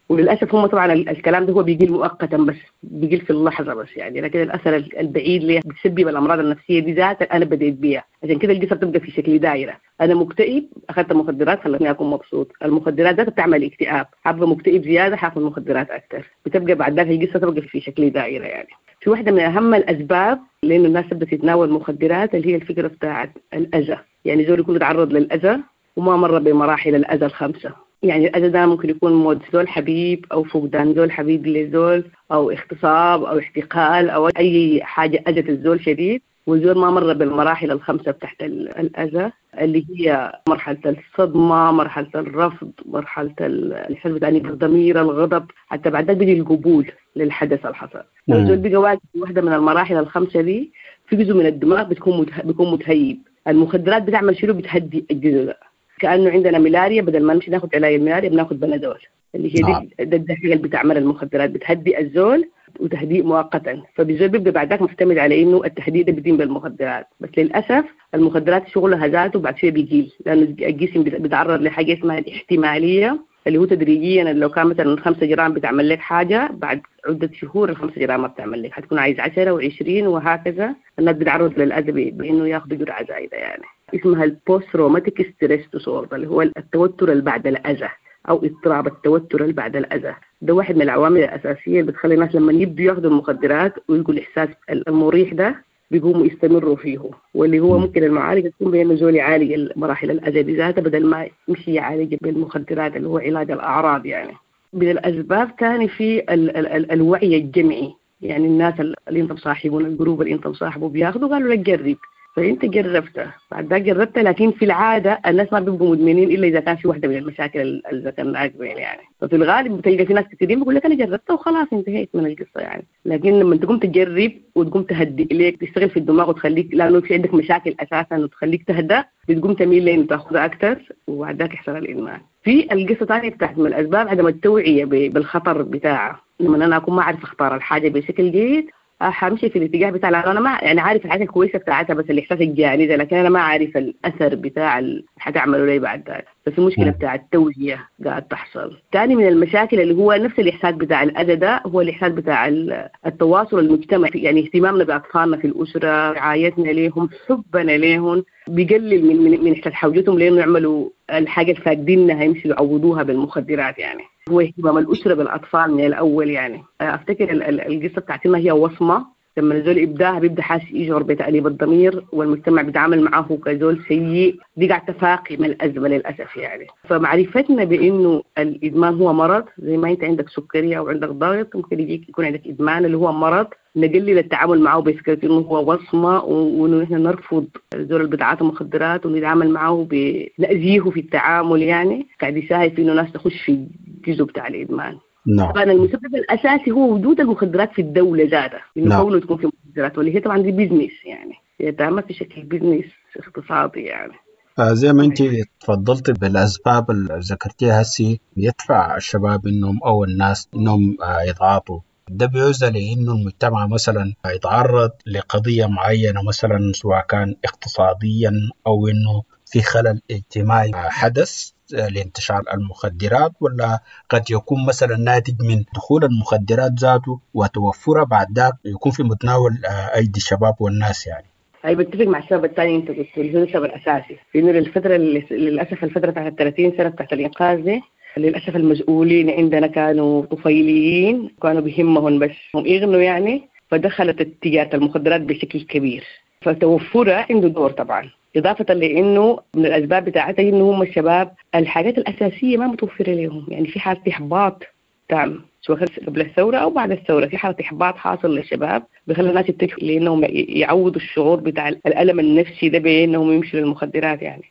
وللأسف هم طبعا الكلام ده هو بيقل مؤقتا بس، بيقل في اللحظة بس يعني، لكن الأثر البعيد اللي بتسبب الأمراض النفسية دي ذات أنا بديت بيها. عشان كده القصة بتبقى في شكل دائرة، أنا مكتئب أخذت مخدرات خلتني أكون مبسوط، المخدرات ذاتها بتعمل اكتئاب، حابة مكتئب زيادة حاخذ مخدرات أكثر، بتبقى بعد ذلك القصة تبقى في شكل دائرة. يعني في في واحدة من اهم الاسباب لانه الناس تبدا تتناول مخدرات اللي هي الفكرة بتاعت الاذى، يعني زول يكون يتعرض للاذى وما مر بمراحل الاذى الخمسة. يعني الاذى ده ممكن يكون موت زول حبيب او فقدان زول حبيب لزول او اغتصاب او احتقال او اي حاجة اذت الزول شديد، والزول ما مر بالمراحل الخمسة بتاعت الاذى اللي هي مرحلة الصدمة، مرحلة الرفض، مرحلة الحزن بتاع الضمير، الغضب، حتى بعد ذلك بيجي القبول للحدث اللي حصل. لو الزول بقى واقف في واحدة من المراحل الخمسة دي في جزء من الدماغ بتكون مته... بيكون متهيب. المخدرات بتعمل شنو؟ بتهدي الجزء ده. كانه عندنا ملاريا، بدل ما نمشي ناخذ علاج الملاريا بناخذ بنادول، اللي هي دي ده الحاجة اللي بتعمل المخدرات، بتهدي الزول وتهديء مؤقتا. فالزول بيبقى بعد ذاك معتمد على انه التهديد ده بيتم بالمخدرات، بس للاسف المخدرات شغلها ذاته بعد شوية بيقل، لانه الجسم بيتعرض لحاجة اسمها الاحتماليه اللي هو تدريجيا لو كان مثلا خمسة جرام بتعمل لك حاجة، بعد عده شهور الخمسة جرام ما بتعمل لك، حتكون عايز عشرة وعشرين وهكذا. الناس بتعرض للاذى بانه ياخذوا جرعة زايدة، يعني اسمها ال post traumatic stress disorder اللي هو التوتر اللي بعد الاذى او اضطراب التوتر اللي بعد الاذى. ده واحد من العوامل الاساسية اللي بتخلي الناس لما يبدوا ياخذوا المخدرات ويلقوا الاحساس المريح ده بيقوموا يستمروا فيه، واللي هو ممكن المعالجة تكون بانه زول يعالج مراحل الاذى دي ذاتها بدل ما يمشي يعالج بالمخدرات اللي هو علاج الاعراض. يعني من الاسباب ثاني في ال ال ال الوعي الجمعي، يعني الناس اللي انت مصاحبهم، ال group اللي انت مصاحبه بياخذوا قالوا لك جرب، فانت جربته بعد ذاك جربته، لكن في العادة الناس ما بيبقوا مدمنين الا اذا كان في واحدة من المشاكل اللي ذكرناها قبل يعني. ففي الغالب بتلقى في ناس كثيرين بيقول لك انا جربتها وخلاص انتهيت من القصة يعني. لكن لما تقوم تجرب وتقوم تهدئ ليك، تشتغل في الدماغ وتخليك، لانه في عندك مشاكل اساسا وتخليك تهدأ، بتقوم تميل لين تاخذها اكثر وبعد ذاك يحصل الادمان. في القصة ثانية بتاعت من الاسباب عدم التوعية بالخطر بتاعها. لما انا اكون ما اعرف اختار الحاجة بشكل جيد حمشي في الاتجاه بتاع، لانه انا ما يعني عارف الحاجة الكويسة بتاعتها بس الاحساس الجاني ده، لكن انا ما عارف الاثر بتاع اللي حتعمله لي بعد ذلك. ففي مشكلة بتاع التوعية قاعد تحصل. ثاني من المشاكل اللي هو نفس الاحساس بتاع الاذى ده هو الاحساس بتاع التواصل المجتمعي، يعني اهتمامنا باطفالنا في الاسرة، رعايتنا ليهم، حبنا ليهم، بيقلل من من, من احساس حوجتهم لانه يعملوا الحاجة اللي فاقدينها يمشوا يعوضوها بالمخدرات. يعني هو اهتمام الأسرة بالأطفال من الأول. يعني أفتكر القصة بتاعتنا هي وصمة، لما الزول إبداها بيبدأ حاسس يشعر بتأنيب الضمير والمجتمع بيتعامل معه كزول سيء، دي قاعد تفاقم الأزمة للأسف يعني. فمعرفتنا بإنه الإدمان هو مرض، زي ما أنت عندك سكرية أو عندك ضغط ممكن يجيك يكون عندك إدمان اللي هو مرض، نقلل التعامل معه بفكرة إنه هو وصمة، وإنه نحن نرفض الزول اللي بيتعاطى مخدرات ونتعامل معه بنأذيه في التعامل، يعني قاعد يساهم في إنه ناس تخش في الجزء بتاع الإدمان. نعم. طبعا المسبب الاساسي هو وجود المخدرات في الدولة ذاتها، انه نعم. كونه تكون في مخدرات، واللي هي طبعا دي business، يعني يتعمل في شكل business اقتصادي يعني. آه زي ما انت تفضلت بالاسباب اللي ذكرتيها هسي يدفع الشباب انهم او الناس انهم آه يتعاطوا، ده بيعزى لانه المجتمع مثلا يتعرض لقضيه معينة مثلا سواء كان اقتصاديا او انه في خلل اجتماعي حدث لانتشار المخدرات، ولا قد يكون مثلا ناتج من دخول المخدرات ذاته وتوفرها بعد ذاك يكون في متناول ايدي الشباب والناس يعني. أي بتفق مع السبب الثاني انت قلت اللي هو السبب الاساسي، لانه للفترة للاسف الفترة بتاعت ثلاثين سنة بتاعت الانقاذ دي للاسف المسؤولين عندنا كانوا طفيليين، كانوا بهمهم بس هم يغنوا يعني، فدخلت تجارة المخدرات بشكل كبير، فتوفرها عنده دور طبعا. إضافة لأنه من الأسباب بتاعتها إنه هم الشباب الحاجات الأساسية ما متوفرة لهم، يعني في حالة إحباط تام سواء قبل الثورة أو بعد الثورة، في حالة إحباط حاصل للشباب بخلي الناس يتجهوا لأنهم يعوضوا الشعور بتاع الألم النفسي ده بأنهم يمشوا للمخدرات يعني.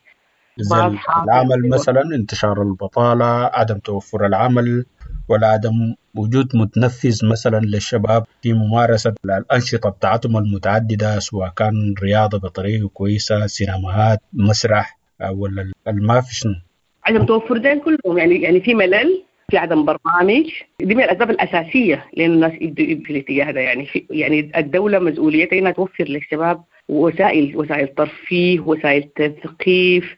زي العمل مثلا، انتشار البطالة، عدم توفر العمل، ولا عدم وجود متنفذ مثلا للشباب في ممارسة الأنشطة بتاعتهم المتعددة سواء كان رياضة بطريقة كويسة، سينماهات، مسرح، ولا ما في شنو. عدم توفر ده كلهم يعني، يعني في ملل، في عدم برنامج، دي من الأسباب الأساسية لأن الناس يبدوا في الاتجاه ده يعني. في يعني الدولة مسؤوليتها إنها توفر للشباب وسائل، وسائل ترفيه، وسائل تثقيف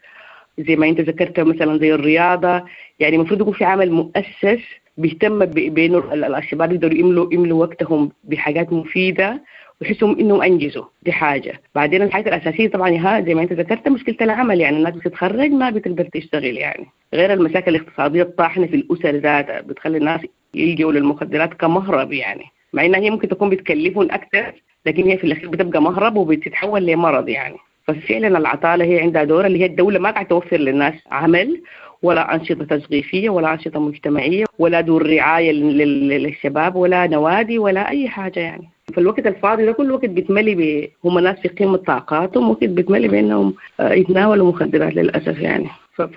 زي ما أنت ذكرت مثلا زي الرياضة، يعني المفروض يكون في عمل مؤسس بيهتم بانه الشباب يقدروا يملوا يملوا وقتهم بحاجات مفيدة ويحسوا انهم انجزوا، دي حاجة. بعدين الحاجة الاساسية طبعا ها زي ما انت ذكرت مشكلة العمل، يعني الناس بتتخرج ما بتقدر تشتغل يعني، غير المشاكل الاقتصادية الطاحنه في الاسر ذاتها بتخلي الناس يلجوا للمخدرات كمهرب يعني. مع انها هي ممكن تكون بتكلفهم اكثر، لكن هي في الاخير بتبقى مهرب وبتتحول لمرض يعني. ففعلا العطاله هي عندها دور، اللي هي الدولة ما قاعدة توفر للناس عمل ولا أنشطة تثقيفية ولا أنشطة مجتمعية ولا دور رعاية للشباب ولا نوادي ولا أي حاجة يعني. فالوقت الفاضي ده كل وقت بيتملي ب... هم ناس في قمة طاقاتهم، وقت بيتملي بأنهم يتناولوا مخدرات للأسف يعني.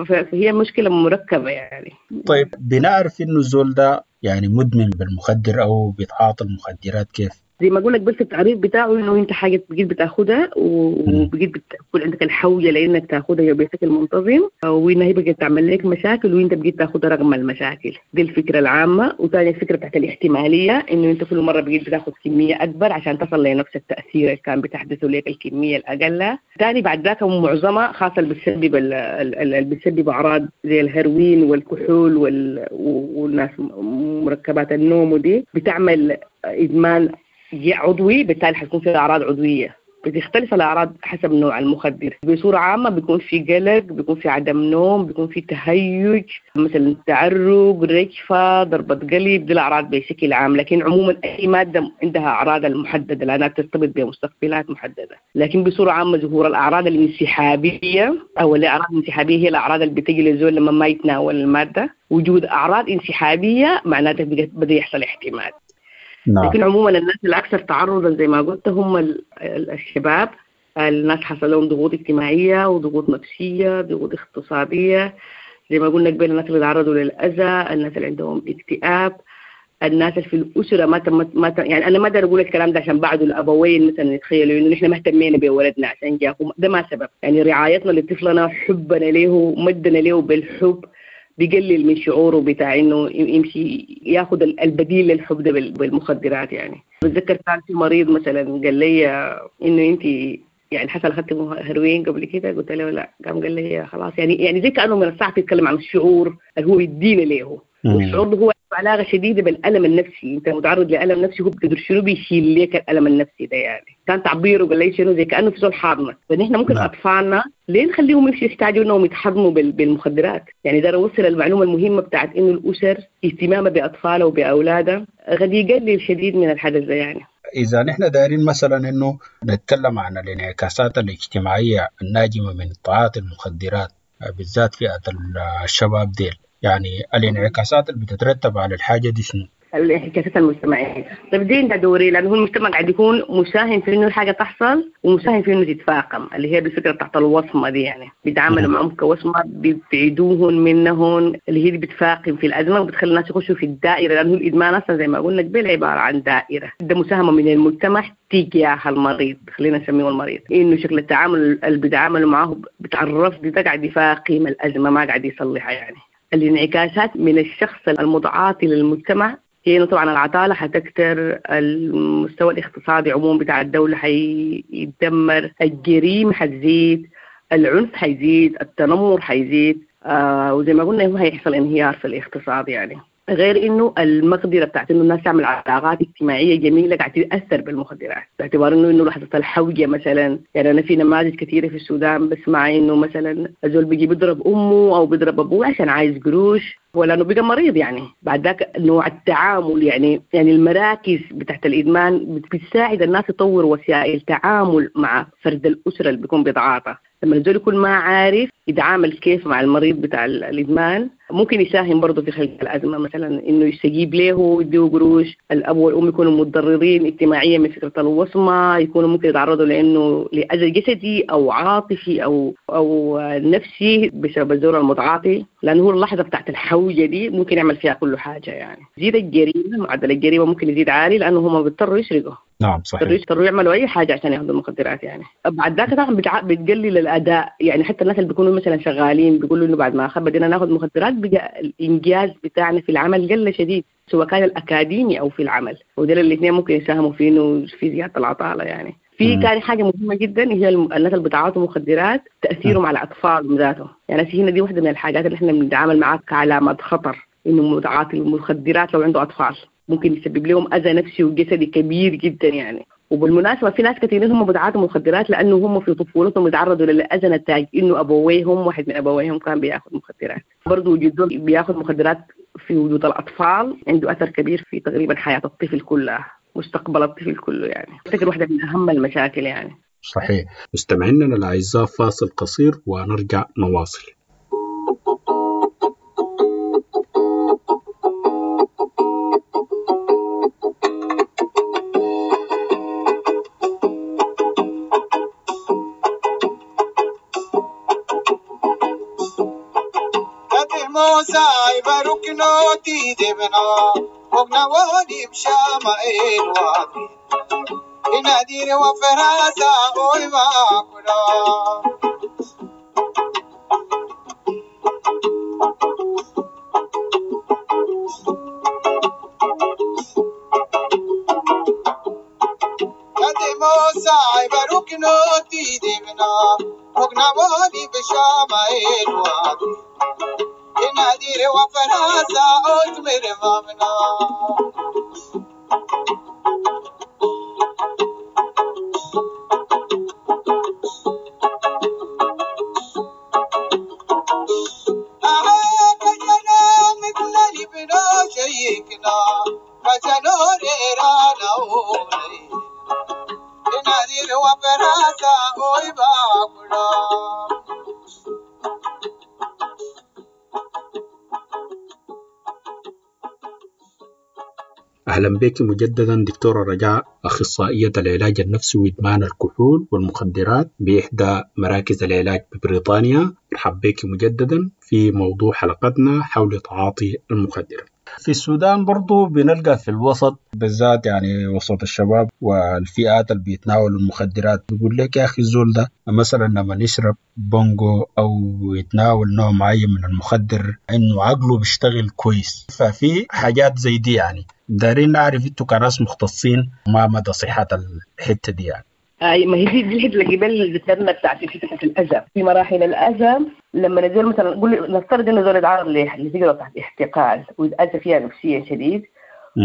فهي مشكلة مركبة يعني. طيب بنعرف إنه الزول ده يعني مدمن بالمخدر أو بيتعاطى المخدرات كيف؟ زي ما اقول لك بس التعريف بتاعه انه انت حاجة بقيت بتاخدها وبقيت بتكون عندك الحوجه لانك تاخدها بشكل منتظم، وانها هي بقت تعمل لك مشاكل وانت بقيت تاخدها رغم المشاكل. دي الفكرة العامة. وثاني الفكرة بتاعت الاحتماليه، انه انت كل مرة بقيت بتاخد كمية اكبر عشان تصل لنفس التاثير اللي كان بتحدثه لك الكمية الاقل. ثاني بعد ذاك معظمها خاصة اللي بتسبب اللي بتسبب اعراض زي الهيروين والكحول وال... والناس مركبات النوم، ودي بتعمل ادمان عضوي، بالتالي حتكون في أعراض عضوية. بتختلف الأعراض حسب نوع المخدر. بصورة عامة بيكون في قلق، بيكون في عدم نوم، بيكون في تهيج مثلا، تعرق، رجفة، ضربة قلب، دي الأعراض بشكل عام. لكن عموما أي مادة عندها أعراض المحددة لأنها ترتبط بمستقبلات محددة. لكن بصورة عامة ظهور الأعراض الانسحابية أو الأعراض الانسحابية هي الأعراض اللي بتجي للزول لما ما يتناول المادة. وجود أعراض انسحابية معناته بدأ يحصل احتمال. نعم. لكن عموما الناس الأكثر تعرضا زي ما قلت هم الشباب، الناس حصل لهم ضغوط اجتماعية وضغوط نفسية، ضغوط اقتصادية زي ما قلنا قبل، الناس اللي تعرضوا للأذى، الناس اللي عندهم اكتئاب، الناس اللي في الأسرة ما تم ما تم يعني أنا ما أقدر أقول الكلام ده عشان بعض الأبوين مثلا يتخيلوا إنه نحن ما اهتمينا بولدنا عشان جاهم، ده ما سبب. يعني رعايتنا لطفلنا، حبنا له، مدنا له بالحب بيقلل من شعوره بتاع انه يمشي ياخذ البديل للحب ده بالمخدرات يعني. بتذكر كان في مريض مثلا قال لي انه انت يعني حصل اخذت هيروين قبل كده، قلت له لا، قام قال لي خلاص يعني يعني زي كانه من الصعب يتكلم عن الشعور اللي هو بيدينا له، والشعور ده هو علاقة شديدة بالالم النفسي، انت متعرض لالم نفسي هو بتقدر شنو بيشيل لك الالم النفسي ده يعني. كان تعبيره قال لي شنو زي كانه في زول حاضنك. فنحن ممكن لا. اطفالنا ليه نخليهم يمشوا يحتاجوا انهم يتحضنوا بالمخدرات يعني؟ ده وصل المعلومة المهمة بتاعت انه الاسر اهتمامها باطفالها وباولادها قد يقلل شديد من الحدث ده يعني. إذا نحن دايرين مثلا إنه نتكلم عن الانعكاسات الاجتماعية الناجمة من تعاطي المخدرات بالذات فئة الشباب ديل، يعني الانعكاسات اللي بتترتب على الحاجة دي شنو؟ الانعكاسات المجتمعية. طيب دي عندها دوري، لأنه هو المجتمع قاعد يكون مساهم في إنه الحاجة تحصل ومساهم في إنه تتفاقم، اللي هي بالفكرة تحت الوصمة دي يعني، بيتعاملوا معهم كوصمة، بيبعدوهن منهن، اللي هي دي بتفاقم في الأزمة وبتخلي الناس يخشوا في الدائرة، لأنه الإدمان أصلا زي ما قلنا قبل عبارة عن دائرة. ده مساهمة من المجتمع تجاه المريض، خلينا نسميه المريض، إنه شكل التعامل اللي بيتعاملوا معه بتعرف ده قاعد يفاقم الأزمة ما قاعد يصلحها يعني. الانعكاسات من الشخص المتعاطي للمجتمع هي إنه طبعا العطالة حتكتر، المستوى الاقتصادي عموما بتاع الدولة حيتدمر، الجريمة حتزيد، العنف حيزيد، التنمر حيزيد، آه وزي ما قلنا هو هيحصل انهيار في الاقتصاد يعني. غير انه المقدرة بتاعت انه الناس تعمل علاقات اجتماعية جميلة قاعدة تتاثر بالمخدرات، باعتبار انه انه لحظة الحوجه مثلا. يعني انا في نماذج كثيرة في السودان بسمع انه مثلا الزول بيجي بيضرب امه او بيضرب ابوه عشان عايز قروش، ولا انه بقى مريض يعني. بعد ذاك نوع التعامل يعني يعني المراكز بتاعت الادمان بتساعد الناس تطور وسائل تعامل مع فرد الاسرة اللي بيكون بيتعاطى. لما الزول يكون ما عارف يتعامل كيف مع المريض بتاع الإدمان ممكن يساهم برضه في خلق الأزمة، مثلا إنه يستجيب له ويديه قروش، الأب والأم يكونوا متضررين اجتماعيا من فكرة الوصمة، يكونوا ممكن يتعرضوا لأنه لأذى جسدي أو عاطفي أو أو نفسي بسبب الزول المتعاطي، لأنه هو اللحظة بتاعت الحوجة دي ممكن يعمل فيها كل حاجة يعني. زيد الجريمة، معدل الجريمة ممكن يزيد عالي لأنه هم بيضطروا يسرقوا. نعم صحيح، يضطروا يعملوا أي حاجة عشان ياخذوا المخدرات يعني. بعد ذاك طبعا بتقلل الأداء يعني، حتى الناس اللي بيكونوا مثلا شغالين بيقولوا إنه بعد ما بدينا ناخذ مخدرات بقى الإنجاز بتاعنا في العمل قل شديد، سواء كان الأكاديمي أو في العمل، ودول الاثنين ممكن يساهموا في إنه في زيادة العطالة يعني. في ثاني حاجة مهمة جدا هي الناس اللي بتعاطوا مخدرات تأثيرهم على الأطفال ذاتهم يعني. هنا دي واحدة من الحاجات اللي احنا بنتعامل معاها كعلامات خطر، إنه متعاطي المخدرات لو عنده أطفال ممكن يسبب لهم أذى نفسي وجسدي كبير جدا يعني. وبالمناسبة في ناس كثيرين هم بيتعاطوا مخدرات لأنه هم في طفولتهم يتعرضوا للأذى نتاج إنه أبويهم، واحد من أبويهم كان بياخذ مخدرات. برضه وجود بياخذ مخدرات في وجود الأطفال عنده أثر كبير في تقريبا حياة الطفل كلها. مستقبل الطفل كله يعني. أفتكر واحدة من أهم المشاكل يعني. صحيح. مستمعينا الأعزاء، فاصل قصير ونرجع نواصل. أهلا بك مجددا دكتورة رجاء، أخصائية العلاج النفسي وإدمان الكحول والمخدرات بإحدى مراكز العلاج ببريطانيا. مرحبا بك مجددا في موضوع حلقتنا حول تعاطي المخدرات. في السودان برضو بنلقى في الوسط بالذات، يعني وسط الشباب والفئات اللي بيتناولوا المخدرات، بيقول لك يا أخي الزول ده مثلا لما يشرب بونجو أو يتناول نوع معين من المخدر إنه عقله بيشتغل كويس. ففي حاجات زي دي يعني دارين نعرف انتوا كناس مختصين ما مدى صحة الحتة دي يعني. أي ما هي دي الحتة اللي قبل ذكرنا بتاعت حتة الأذى. في مراحل الأذى لما نزول مثلا قول نفترض إنه زول يتعرض لتجربة بتاعت احتقال ويتأذى فيها نفسيا شديد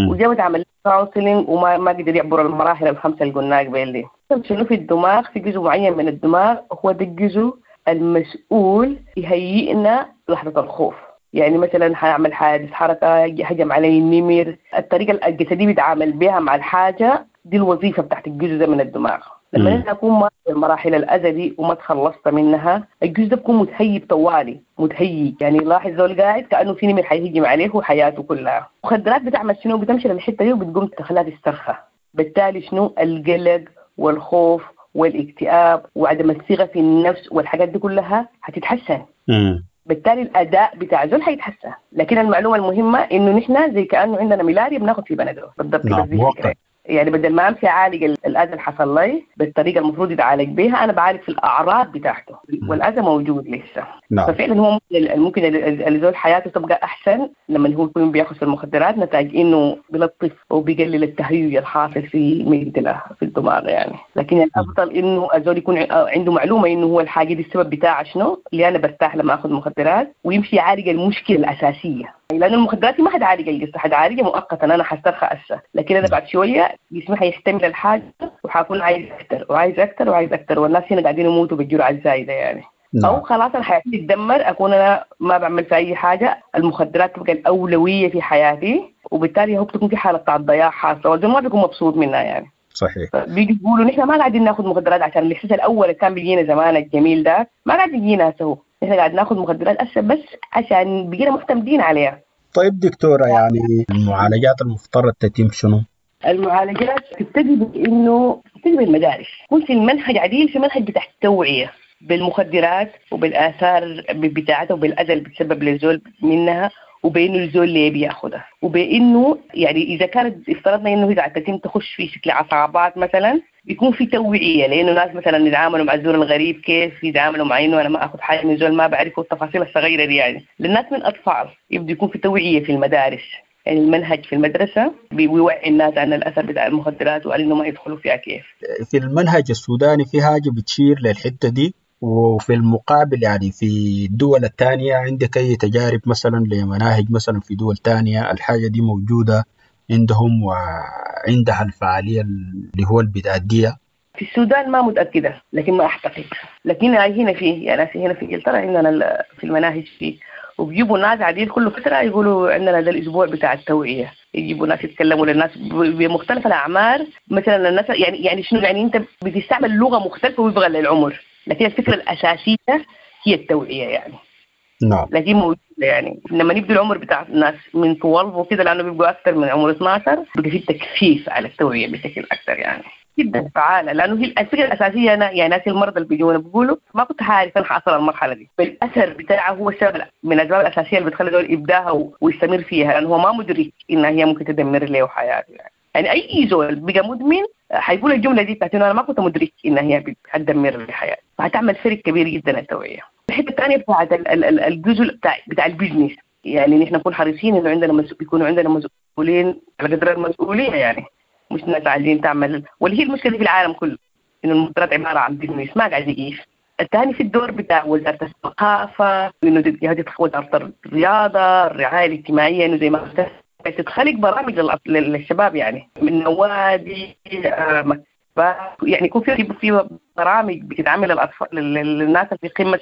وجابت عمل counseling وما ما قدر يعبر المراحل الخمسة اللي قلناها قبل دي. شنو في الدماغ؟ في جزء معين من الدماغ هو ده الجزء المسؤول يهيئنا لحظة الخوف. يعني مثلا حيعمل حادث حركة، هجم علي النمر، الطريقة الجسدية بيتعامل بها مع الحاجة دي الوظيفة بتاعت الجزء ده من الدماغ. لما أنا أكون مر المراحل الأذى دي وما تخلصت منها، الجزء ده بيكون متهيب طوالي، متهيج. يعني لاحظ زول قاعد كأنه في نمر حيهجم عليه وحياته كلها. مخدرات بتعمل شنو؟ بتمشي للحتة دي وبتقوم تخليها تسترخى. بالتالي شنو؟ القلق والخوف والاكتئاب وعدم الثقة في النفس والحاجات دي كلها هتتحسن. مم. بالتالي الأداء بتاع زول حيتحسن. لكن المعلومة المهمة إنه نحن زي كأنه عندنا ملاريا بناخد في بنادول بالضبط. نعم، بس يعني بدل ما أمشي أعالج الأذى اللي حصل لي بالطريقة المفروض يتعالج بها، أنا بعالج في الأعراض بتاعته والأذى موجود لسه. نعم. ففعلا هو ممكن الزول حياته تبقى أحسن لما هو يكون بياخذ في المخدرات، نتاج إنه بيلطف وبيقلل التهيج الحاصل في ميدله في الدماغ يعني. لكن الأفضل إنه الزول يكون عنده معلومة إنه هو الحاجة دي السبب بتاعها شنو، اللي أنا برتاح لما أخذ مخدرات، ويمشي يعالج المشكلة الأساسية. لأن المخدرات ما حتعالج القصة، حتعالجها مؤقتا، أنا حسترخى هسه، لكن أنا بعد شوية جسمي حيحتمل الحاجة وحكون عايز أكتر وعايز أكتر وعايز أكتر، والناس هنا قاعدين يموتوا بالجرعة الزايدة يعني. نعم. أو خلاص أنا حياتي تتدمر، أكون أنا ما بعمل في أي حاجة، المخدرات تبقى الأولوية في حياتي، وبالتالي هو بتكون في حالة بتاع الضياع حاصلة، والزول ما بيكون مبسوط منها يعني. صحيح. بيجي يقولوا نحن ما قاعدين ناخذ مخدرات عشان الإحساس الأول اللي كان بيجينا زمان الجميل ده ما قاعد يجينا هسه، نحن قاعد ناخذ مخدرات هسه بس عشان بقينا معتمدين عليها. طيب دكتورة، يعني المعالجات المفترض تتم شنو؟ المعالجات تبتدي بإنه تبتدي بالمدارس، يكون في المنهج عديل، في منهج بتاع التوعية بالمخدرات وبالآثار بتاعتها وبالأذى اللي بتسبب للزول منها، وبإنه الزول اللي بياخدها، وبإنه يعني إذا كانت افترضنا إنه إذا تتم تخش في شكل عصابات مثلا، يكون في توعية، لأنه ناس مثلا يتعاملوا مع الزول الغريب كيف يتعاملوا مع إنه أنا ما أخذ حاجة من زول ما بعرفه، التفاصيل الصغيرة دي يعني للناس من أطفال يبدو يكون في توعية في المدارس. يعني المنهج في المدرسة بيوعي الناس عن الأثر بتاع المخدرات وعن إنه ما يدخلوا فيها كيف. في المنهج السوداني في حاجة بتشير للحتة دي، وفي المقابل يعني في الدول الثانية عندك أي تجارب مثلا لمناهج مثلا في دول تانية الحاجة دي موجودة عندهم وعندها الفعالية اللي هو البتأدية؟ في السودان ما متأكدة، لكن ما أعتقد. لكن هنا في يعني هنا في إنجلترا عندنا في المناهج فيه، وبيجيبوا ناس عديد كل فترة يقولوا عندنا ده الاسبوع بتاع التوعية، يجيبوا ناس يتكلموا للناس بمختلف الاعمار مثلا. الناس يعني يعني شنو يعني انت بتستعمل لغة مختلفة وفقا للعمر، لكن الفكرة الاساسية هي التوعية يعني. نعم. لكن موجودة يعني لما يبدو العمر بتاع الناس من اتناشر وكده، لانه بيبقوا اكثر من عمر اتناشر، بيبقى في تكثيف على التوعية بشكل اكثر يعني جدا فعاله. لانه هي الفكرة الاساسية. انا يعني ناس المرضى اللي بيجونا بيقولوا ما كنت عارف انا حاصل المرحلة دي، بالاثر بتاعه هو السبب من الاسباب الاساسية اللي بتخلي زول يبداها ويستمر فيها، لانه هو ما مدرك انها هي ممكن تدمر له حياته يعني. يعني اي زول بقى مدمن حيقول الجملة دي بتاعت انه انا ما كنت مدرك انها هي هتدمر لي حياتي، فهتعمل فرق كبير جدا التوعية. الحتة الثانية بتاعت الجزء بتاع بتاع ال business، يعني نحن نكون حريصين انه عندنا مسؤول، يكونوا عندنا مسؤولين على قدر المسؤولية يعني، مش ناس عايزين تعمل. واللي هي المشكلة في العالم كله انه المخدرات عبارة عن business ما قاعد يقيف. الثاني في الدور بتاع وزارة الثقافة، انه وزارة الرياضة، الرعاية الاجتماعية، انه زي ما تتخلق برامج للشباب يعني من نوادي، يعني يكون في في برامج بتتعمل للاطفال للناس اللي في قمة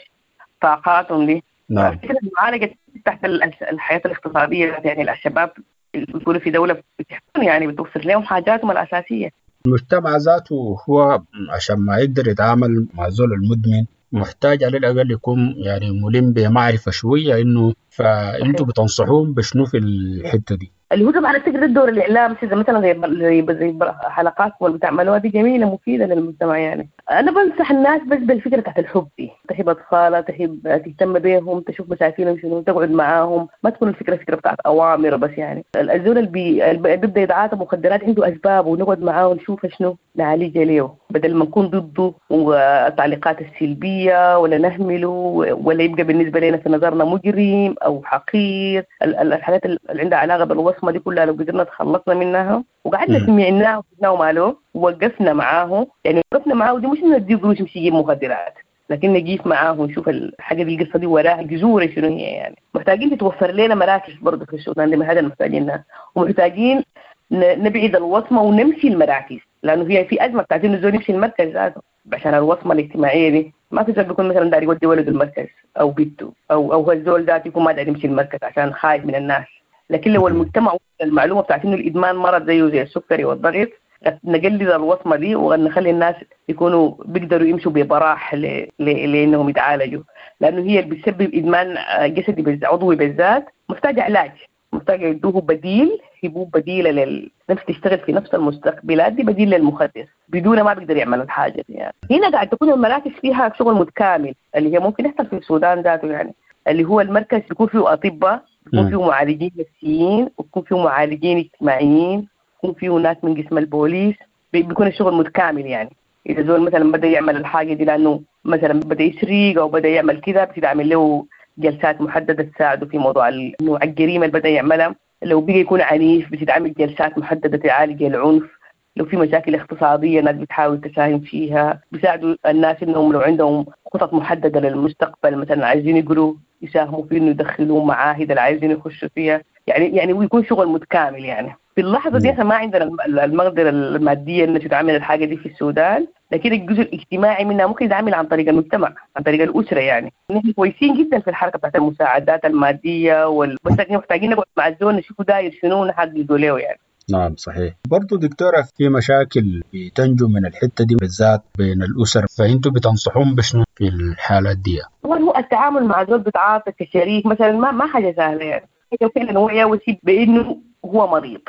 طاقاتهم دي. نعم. فكرة المعالجة تحت الحياة الاقتصادية يعني الشباب يكونوا في دولة بتحكم يعني بتوفر لهم حاجاتهم الاساسية. المجتمع ذاته هو عشان ما يقدر يتعامل مع زول المدمن محتاج على الأقل يكون يعني ملم بمعرفة شوية إنه، فأنتوا بتنصحوهم بشنو في الحتة دي؟ اللي هو طبعا الفكرة الدور الإعلام مثلا زي زي حلقات واللي بتعملوها دي جميلة مفيدة للمجتمع يعني. أنا بنصح الناس بس بالفكرة تحت الحب دي، تحب أطفالها، تحب تهتم بيهم، تشوف مشاكلهم شنو، تقعد معاهم، ما تكون الفكرة فكرة بتاعت أوامر بس يعني. الزول اللي بيبدأ يتعاطى مخدرات عنده أسباب، ونقعد معاه ونشوف شنو نعالجها له، بدل ما نكون ضده والتعليقات السلبية ولا نهمله ولا يبقى بالنسبة لنا في نظرنا مجرم أو حقير. الحاجات اللي عندها علاقة بالوصمة دي كلها لو قدرنا تخلصنا منها وقعدنا سمعناه وشفناه وماله ووقفنا معاه، يعني وقفنا معاه دي مش إنه نديه قروش يمشي يجيب مخدرات، لكن نجيف معاه ونشوف الحاجة دي القصة دي وراها جذورها شنو هي يعني. محتاجين تتوفر لنا مراكز برضه في السودان دي، هذا محتاجينها، ومحتاجين نبعد الوصمة ونمشي المراكز، لأنه هي في أزمة بتاعت إنه الزول يمشي المركز ذاته عشان الوصمة الاجتماعية دي. ما في زول بيكون مثلا داري يودي ولده المركز أو بنته أو أو الزول ذاته يكون ما داري يمشي المركز عشان خايف من الناس. لكن لو المجتمع المعلومة بتاعت إنه الإدمان مرض زيه زي السكري والضغط، نقلل الوصمة دي ونخلي الناس يكونوا بيقدروا يمشوا ببراح ل... ل... لأنهم يتعالجوا، لأنه هي اللي بتسبب إدمان جسدي عضوي بالذات محتاجة علاج، محتاجة يدوه بديل، يبوه بديلة للنفس تشتغل في نفس المستقبلات دي، بديل للمخدر بدون ما بيقدر يعمل الحاجة دي يعني. هنا قاعد تكون المراكز فيها شغل متكامل اللي هي ممكن يحصل في السودان ذاته يعني، اللي هو المركز يكون فيه أطباء، يكون فيه معالجين نفسيين، ويكون فيه معالجين اجتماعيين، يكون فيه ناس من قسم البوليس، بيكون الشغل متكامل يعني. إذا زول مثلا بدأ يعمل الحاجة دي لأنه مثلا بدأ يسرق أو بدأ يعمل كذا، بتعمل له جلسات محددة تساعده في موضوع نوع الجريمة اللي بدأ يعملها. لو بقى يكون عنيف بتتعمل جلسات محددة تعالج العنف. لو في مشاكل اقتصادية الناس بتحاول تساهم فيها، بيساعدوا الناس إنهم لو عندهم خطط محددة للمستقبل مثلا عايزين يقروا يساهموا في إنه يدخلوا معاهد اللي عايزين يخشوا فيها يعني يعني ويكون شغل متكامل يعني. في اللحظة دي احنا ما عندنا المقدرة المادية إنه تتعمل الحاجة دي في السودان، لكن الجزء الاجتماعي منها ممكن يتعمل عن طريق المجتمع، عن طريق الأسرة يعني. نحن كويسين جدا في الحركة بتاعت المساعدات المادية وال... بس محتاجين نقعد مع الزول نشوفه داير شنو ونحدده له يعني. نعم صحيح. برضو دكتورة في مشاكل بتنجو من الحتة دي بالذات بين الأسر، فأنتوا بتنصحون بشنو في الحالات دي؟ طبعا هو التعامل مع زول بتعاطي كشريك مثلا ما ما حاجة سهلة يعني. فعلا هو يوصي بأنه هو مريض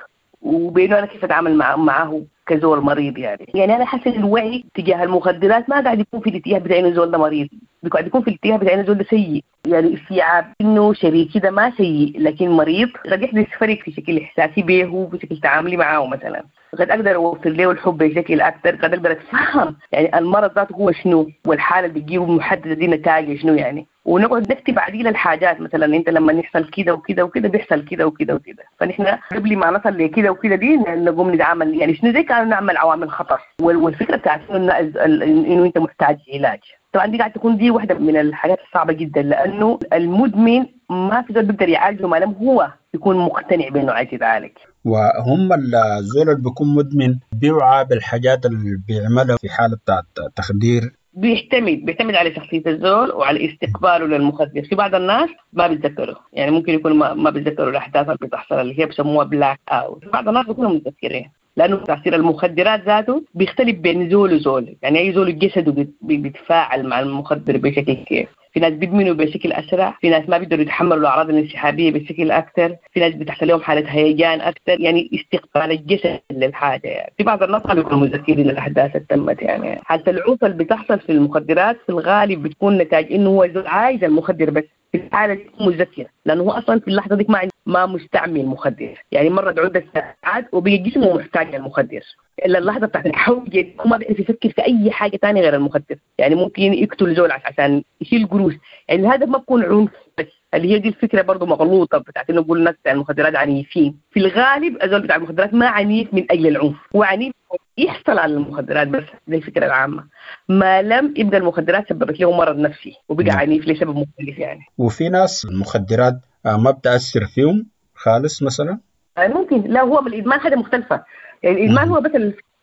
وبأنه أنا كيف أتعامل مع معه كزول مريض يعني. يعني أنا حاسة الوعي تجاه المخدرات ما قاعد يكون في الاتجاه بتاع إنه زول ده مريض، قاعد يكون في الاتجاه بتاع إنه زول ده سيء يعني. استيعاب إنه شريكي ده ما سيء لكن مريض قد يحدث فرق في شكل إحساسي به وفي شكل تعاملي معه مثلا. قد أقدر أوفر له الحب بشكل أكثر، قد أقدر أتفهم يعني المرض ذاته هو شنو والحالة اللي بتجيبه محددة دي نتائج شنو يعني، ونقعد نكتب عديل الحاجات مثلا انت لما يحصل كده وكده وكده بيحصل كده وكده وكده، فنحن قبل ما نصل لكده وكده دي نقوم نتعامل يعني شنو زي كانوا نعمل عوامل خطر. والفكرة بتاعت انه انه انت محتاج علاج طبعا دي قاعدة تكون دي واحدة من الحاجات الصعبة جدا، لانه المدمن ما في زول بيقدر يعالجه ما لم هو يكون مقتنع بانه عايز يتعالج. وهم الزول اللي بيكون مدمن بيوعى بالحاجات اللي بيعملها في حاله بتاعت تخدير. بيعتمد بيعتمد على شخصية الزول وعلى استقباله للمخدر. في بعض الناس ما بيتذكروا، يعني ممكن يكون ما, ما بيتذكروا الاحداث اللي بتحصل اللي هي بيسموها black out. بعض الناس بيكونوا متذكرين، لانه تاثير المخدرات ذاته بيختلف بين زول وزول، يعني اي زول جسده بيتفاعل مع المخدر بشكل كيف. في ناس بيدمنوا بشكل اسرع، في ناس ما بيقدروا يتحملوا الاعراض الانسحابيه بشكل اكثر، في ناس بتحصل لهم حاله هيجان اكثر، يعني استقبال الجسد للحاجة. يعني في بعض الناس بيكونوا متذكرين الاحداث اللي تمت. يعني حاله العنف اللي بتحصل في المخدرات في الغالب بتكون نتاج انه هو عايز المخدر بس، في الحالة دي متذكر، لانه هو اصلا في اللحظة دي ما ما مستعمل مخدر، يعني مرت عده ساعات وبقى جسمه محتاج للمخدر. الا اللحظة بتاعت الحوجه ما بيعرف يفكر في اي حاجة ثانية غير المخدر، يعني ممكن يقتل زول عشان يشيل قروش، يعني الهدف ما بيكون عنف بس، اللي هي دي الفكرة برضه مغلوطة بتاعت انه نقول الناس بتاع المخدرات عنيفين. في الغالب الزول بتاع المخدرات ما عنيف من اجل العنف، هو عنيف يحصل على المخدرات بس، دي الفكرة العامة. ما لم يبقى المخدرات سببت له مرض نفسي وبقى عنيف لسبب مختلف يعني. وفي ناس المخدرات ما بتأثر فيهم خالص مثلا؟ ممكن، لا هو بالإدمان حاجة مختلفة، يعني الإدمان هو بس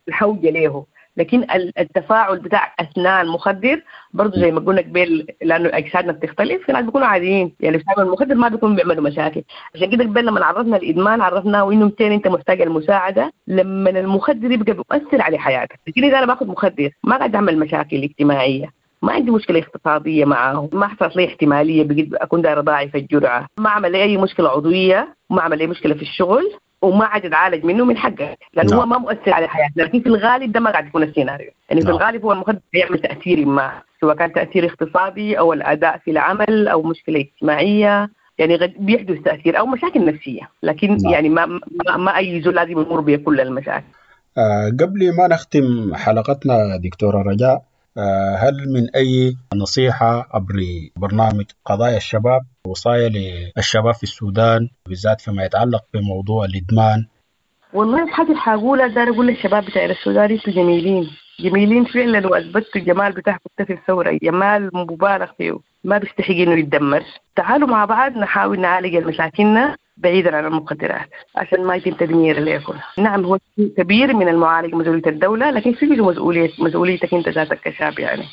الحوجة له، لكن التفاعل بتاع أثناء المخدر برضه زي ما قلنا قبل، لأنه أجسادنا بتختلف، في ناس بيكونوا عاديين يعني بيستعملوا المخدر ما بيكونوا بيعملوا مشاكل. عشان كده قبل لما عرفنا الإدمان عرفناه وإنه متين أنت محتاج المساعدة لما المخدر يبقى بيؤثر على حياتك. لكن إذا أنا باخذ مخدر ما قاعد أعمل مشاكل اجتماعية، ما عندي مشكلة اقتصادية معه، ما حصلت لي احتمالية بقيت أكون دايرة ضاعف الجرعة، ما عمل لي أي مشكلة عضوية، ما عمل لي مشكلة في الشغل، وما عاد يتعالج منه من حقه، لأنه نعم. هو ما مؤثر على حياتنا. لكن في الغالب ده ما قاعد يكون السيناريو، يعني في نعم. الغالب هو المخدر يعمل تأثير ما، سواء كان تأثير اقتصادي أو الأداء في العمل أو مشكلة اجتماعية، يعني بيحدث تأثير أو مشاكل نفسية، لكن نعم. يعني ما, ما, ما أي زول لازم يمر بكل المشاكل. آه قبل ما نختم حلقتنا دكتورة رجاء، هل من أي نصيحة عبر برنامج قضايا الشباب، وصايا للشباب في السودان بالذات فيما يتعلق بموضوع الإدمان؟ والله الحاجة اللي حقولها دار أقول للشباب بتاع السودان انتوا جميلين، جميلين فعلا، وأثبتوا الجمال بتاعكم في الثورة، جمال مبالغ فيه، ما بيستحق إنه يتدمر. تعالوا مع بعض نحاول نعالج مشاكلنا بعيدا عن المخدرات عشان ما يتم تدمير ليكم. نعم هو كبير من المعالج مسؤولية الدولة، لكن في مسؤولية مسؤوليتك أنت ذاتك كشاب، يعني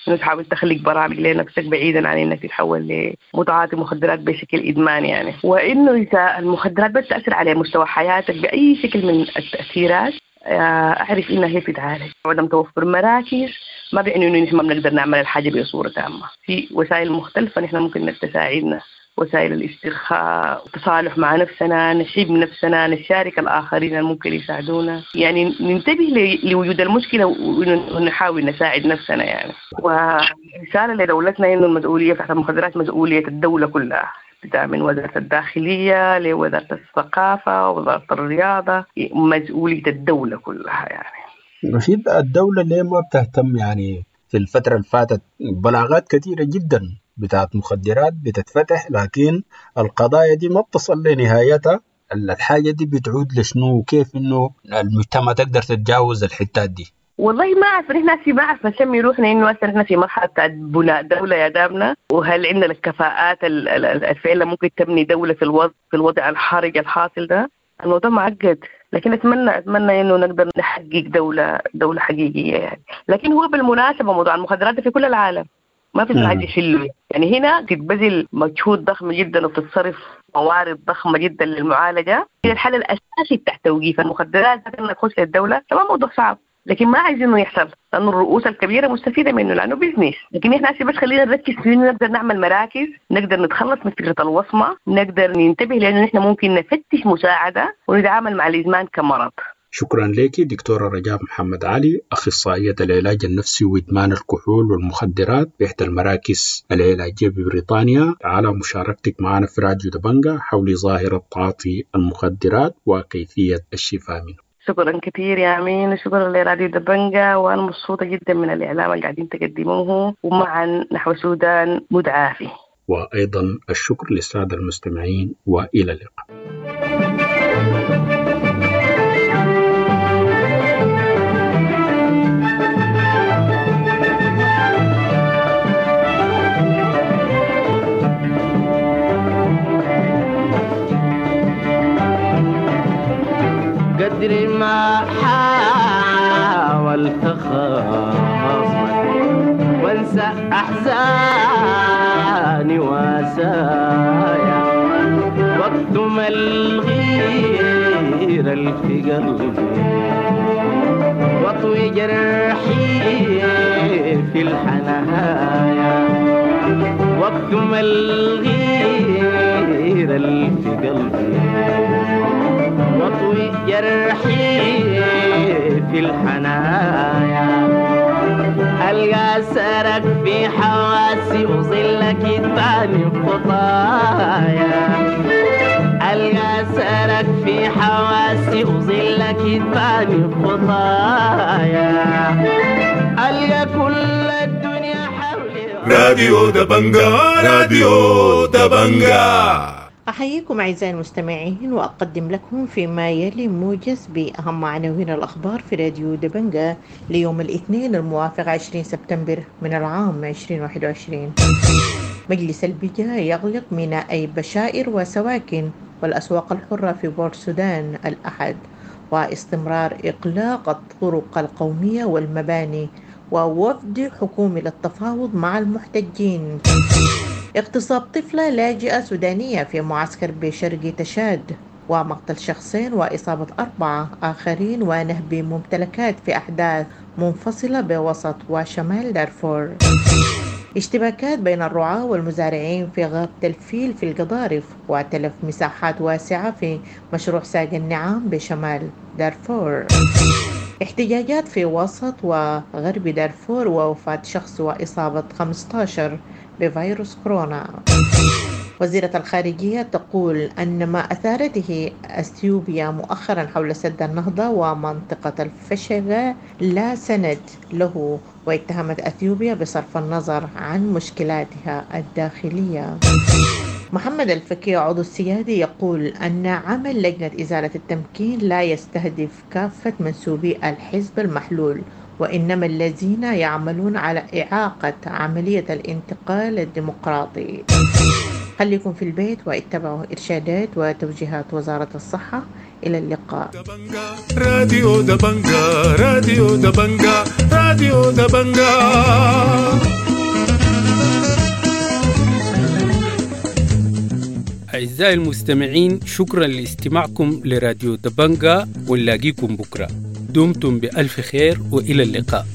إنه تحاول تخلق برامج لنفسك بعيدا عن إنك تتحول لمتعاطي مخدرات بشكل إدمان يعني. وإنه إذا المخدرات بس تأثر على مستوى حياتك بأي شكل من التأثيرات، أعرف إنها هي بتتعالج. عدم توفر مراكز ما بيعني إنه نحن ما بنقدر نعمل الحاجة بصورة تامة، في وسائل مختلفة نحن ممكن تساعدنا، وسائل الاسترخاء، التصالح مع نفسنا، نحب نفسنا، نشارك الآخرين اللي ممكن يساعدونا، يعني ننتبه لوجود المشكلة ونحاول نساعد نفسنا يعني. ورسالة لدولتنا إنه المسؤولية تحت المخدرات مسؤولية الدولة كلها، من وزارة الداخلية لوزارة الثقافة ووزارة الرياضة، مسؤولية الدولة كلها يعني. رشيد، الدولة ليه ما بتهتم يعني في الفترة اللي فاتت بلاغات كثيرة جدا بتاعت مخدرات بتتفتح، لكن القضايا دي ما بتصل لنهايتها، الحاجة دي بتعود لشنو وكيف إنه المجتمع تقدر تتجاوز الحتات دي؟ والله ما أعرف، نحن في ما أعرف نسمي روحنا إنه أصلا نحن في مرحلة بتاعت بناء دولة يا دامنا، وهل عندنا الكفاءات الفعلة ممكن تبني دولة في الوضع في الوضع الحرج الحاصل ده؟ الموضوع معقد، لكن أتمنى أتمنى إنه نقدر نحقق دولة دولة حقيقية يعني. لكن هو بالمناسبة موضوع المخدرات في كل العالم ما في حاجة يحلوا يعني، هنا تتبذل مجهود ضخم جدا وبتتصرف موارد ضخمة جدا للمعالجة. الحل الأساسي بتاع توقيف المخدرات إنك تخش للدولة طبعا موضوع صعب، لكن ما عايزينه يحصل لأنه الرؤوس الكبيرة مستفيدة منه لأنه بيزنس. لكن إحنا بس خلينا نركز في إنه نقدر نعمل مراكز، نقدر نتخلص من فكرة الوصمة، نقدر ننتبه لأنه إحنا ممكن نفتش مساعدة ونتعامل مع الإدمان كمرض. شكرا لك دكتورة رجاء محمد علي، أخصائية العلاج النفسي وإدمان الكحول والمخدرات بإحدى المراكز العلاجية ببريطانيا، على مشاركتك معنا في راديو دبنجة حول ظاهرة تعاطي المخدرات وكيفية الشفاء منه. شكرا كثير يا أمين، وشكرا لراديو دبنجة، وأنا مبسوطة جدا من الإعلام اللي قاعدين تقدموه، ومعا نحو سودان متعافي. وأيضا الشكر للسادة المستمعين، وإلى اللقاء. قدر ما حاولت خاصمك قلبي واطوي جرحي في الحنايا واكتم الغير في قلبي واطوي جرحي في الحنايا ألقى سرك في حواسي وظلك يتبعني خطايا ألقى سرك في حواسي وظلك يتبعني خطايا ألقى كل الدنيا حولي. راديو دبنجا، راديو دبنجا. أحييكم أعزائي المستمعين وأقدم لكم فيما يلي موجز بأهم عناوين الأخبار في راديو دبنجا ليوم الاثنين الموافق عشرين سبتمبر من العام ألفين وواحد وعشرين. مجلس البجا يغلق ميناء بشائر وسواكن والأسواق الحرة في بورت السودان الأحد، واستمرار إغلاق الطرق القومية والمباني، ووفد حكومي للتفاوض مع المحتجين. اغتصاب طفلة لاجئة سودانية في معسكر بشرق تشاد، ومقتل شخصين وإصابة أربعة آخرين ونهب ممتلكات في أحداث منفصلة بوسط وشمال دارفور. اشتباكات بين الرعاة والمزارعين في غابة الفيل في القضارف، وتلف مساحات واسعة في مشروع ساق النعام بشمال دارفور. احتجاجات في وسط وغرب دارفور، ووفاة شخص وإصابة خمسة عشر بفيروس كورونا. وزيرة الخارجية تقول أن ما أثارته أثيوبيا مؤخرا حول سد النهضة ومنطقة الفشغة لا سند له، واتهمت أثيوبيا بصرف النظر عن مشكلاتها الداخلية. محمد الفكي عضو السيادي يقول أن عمل لجنة إزالة التمكين لا يستهدف كافة منسوبي الحزب المحلول، وإنما الذين يعملون على إعاقة عملية الانتقال الديمقراطي. خليكم في البيت واتبعوا إرشادات وتوجيهات وزارة الصحة. إلى اللقاء. راديو دبنجا، راديو دبنجا، راديو دبنجا. أعزائي المستمعين، شكرا لاستماعكم لراديو دبنجا، ونلاقيكم بكرة. دمتم بألف خير وإلى اللقاء.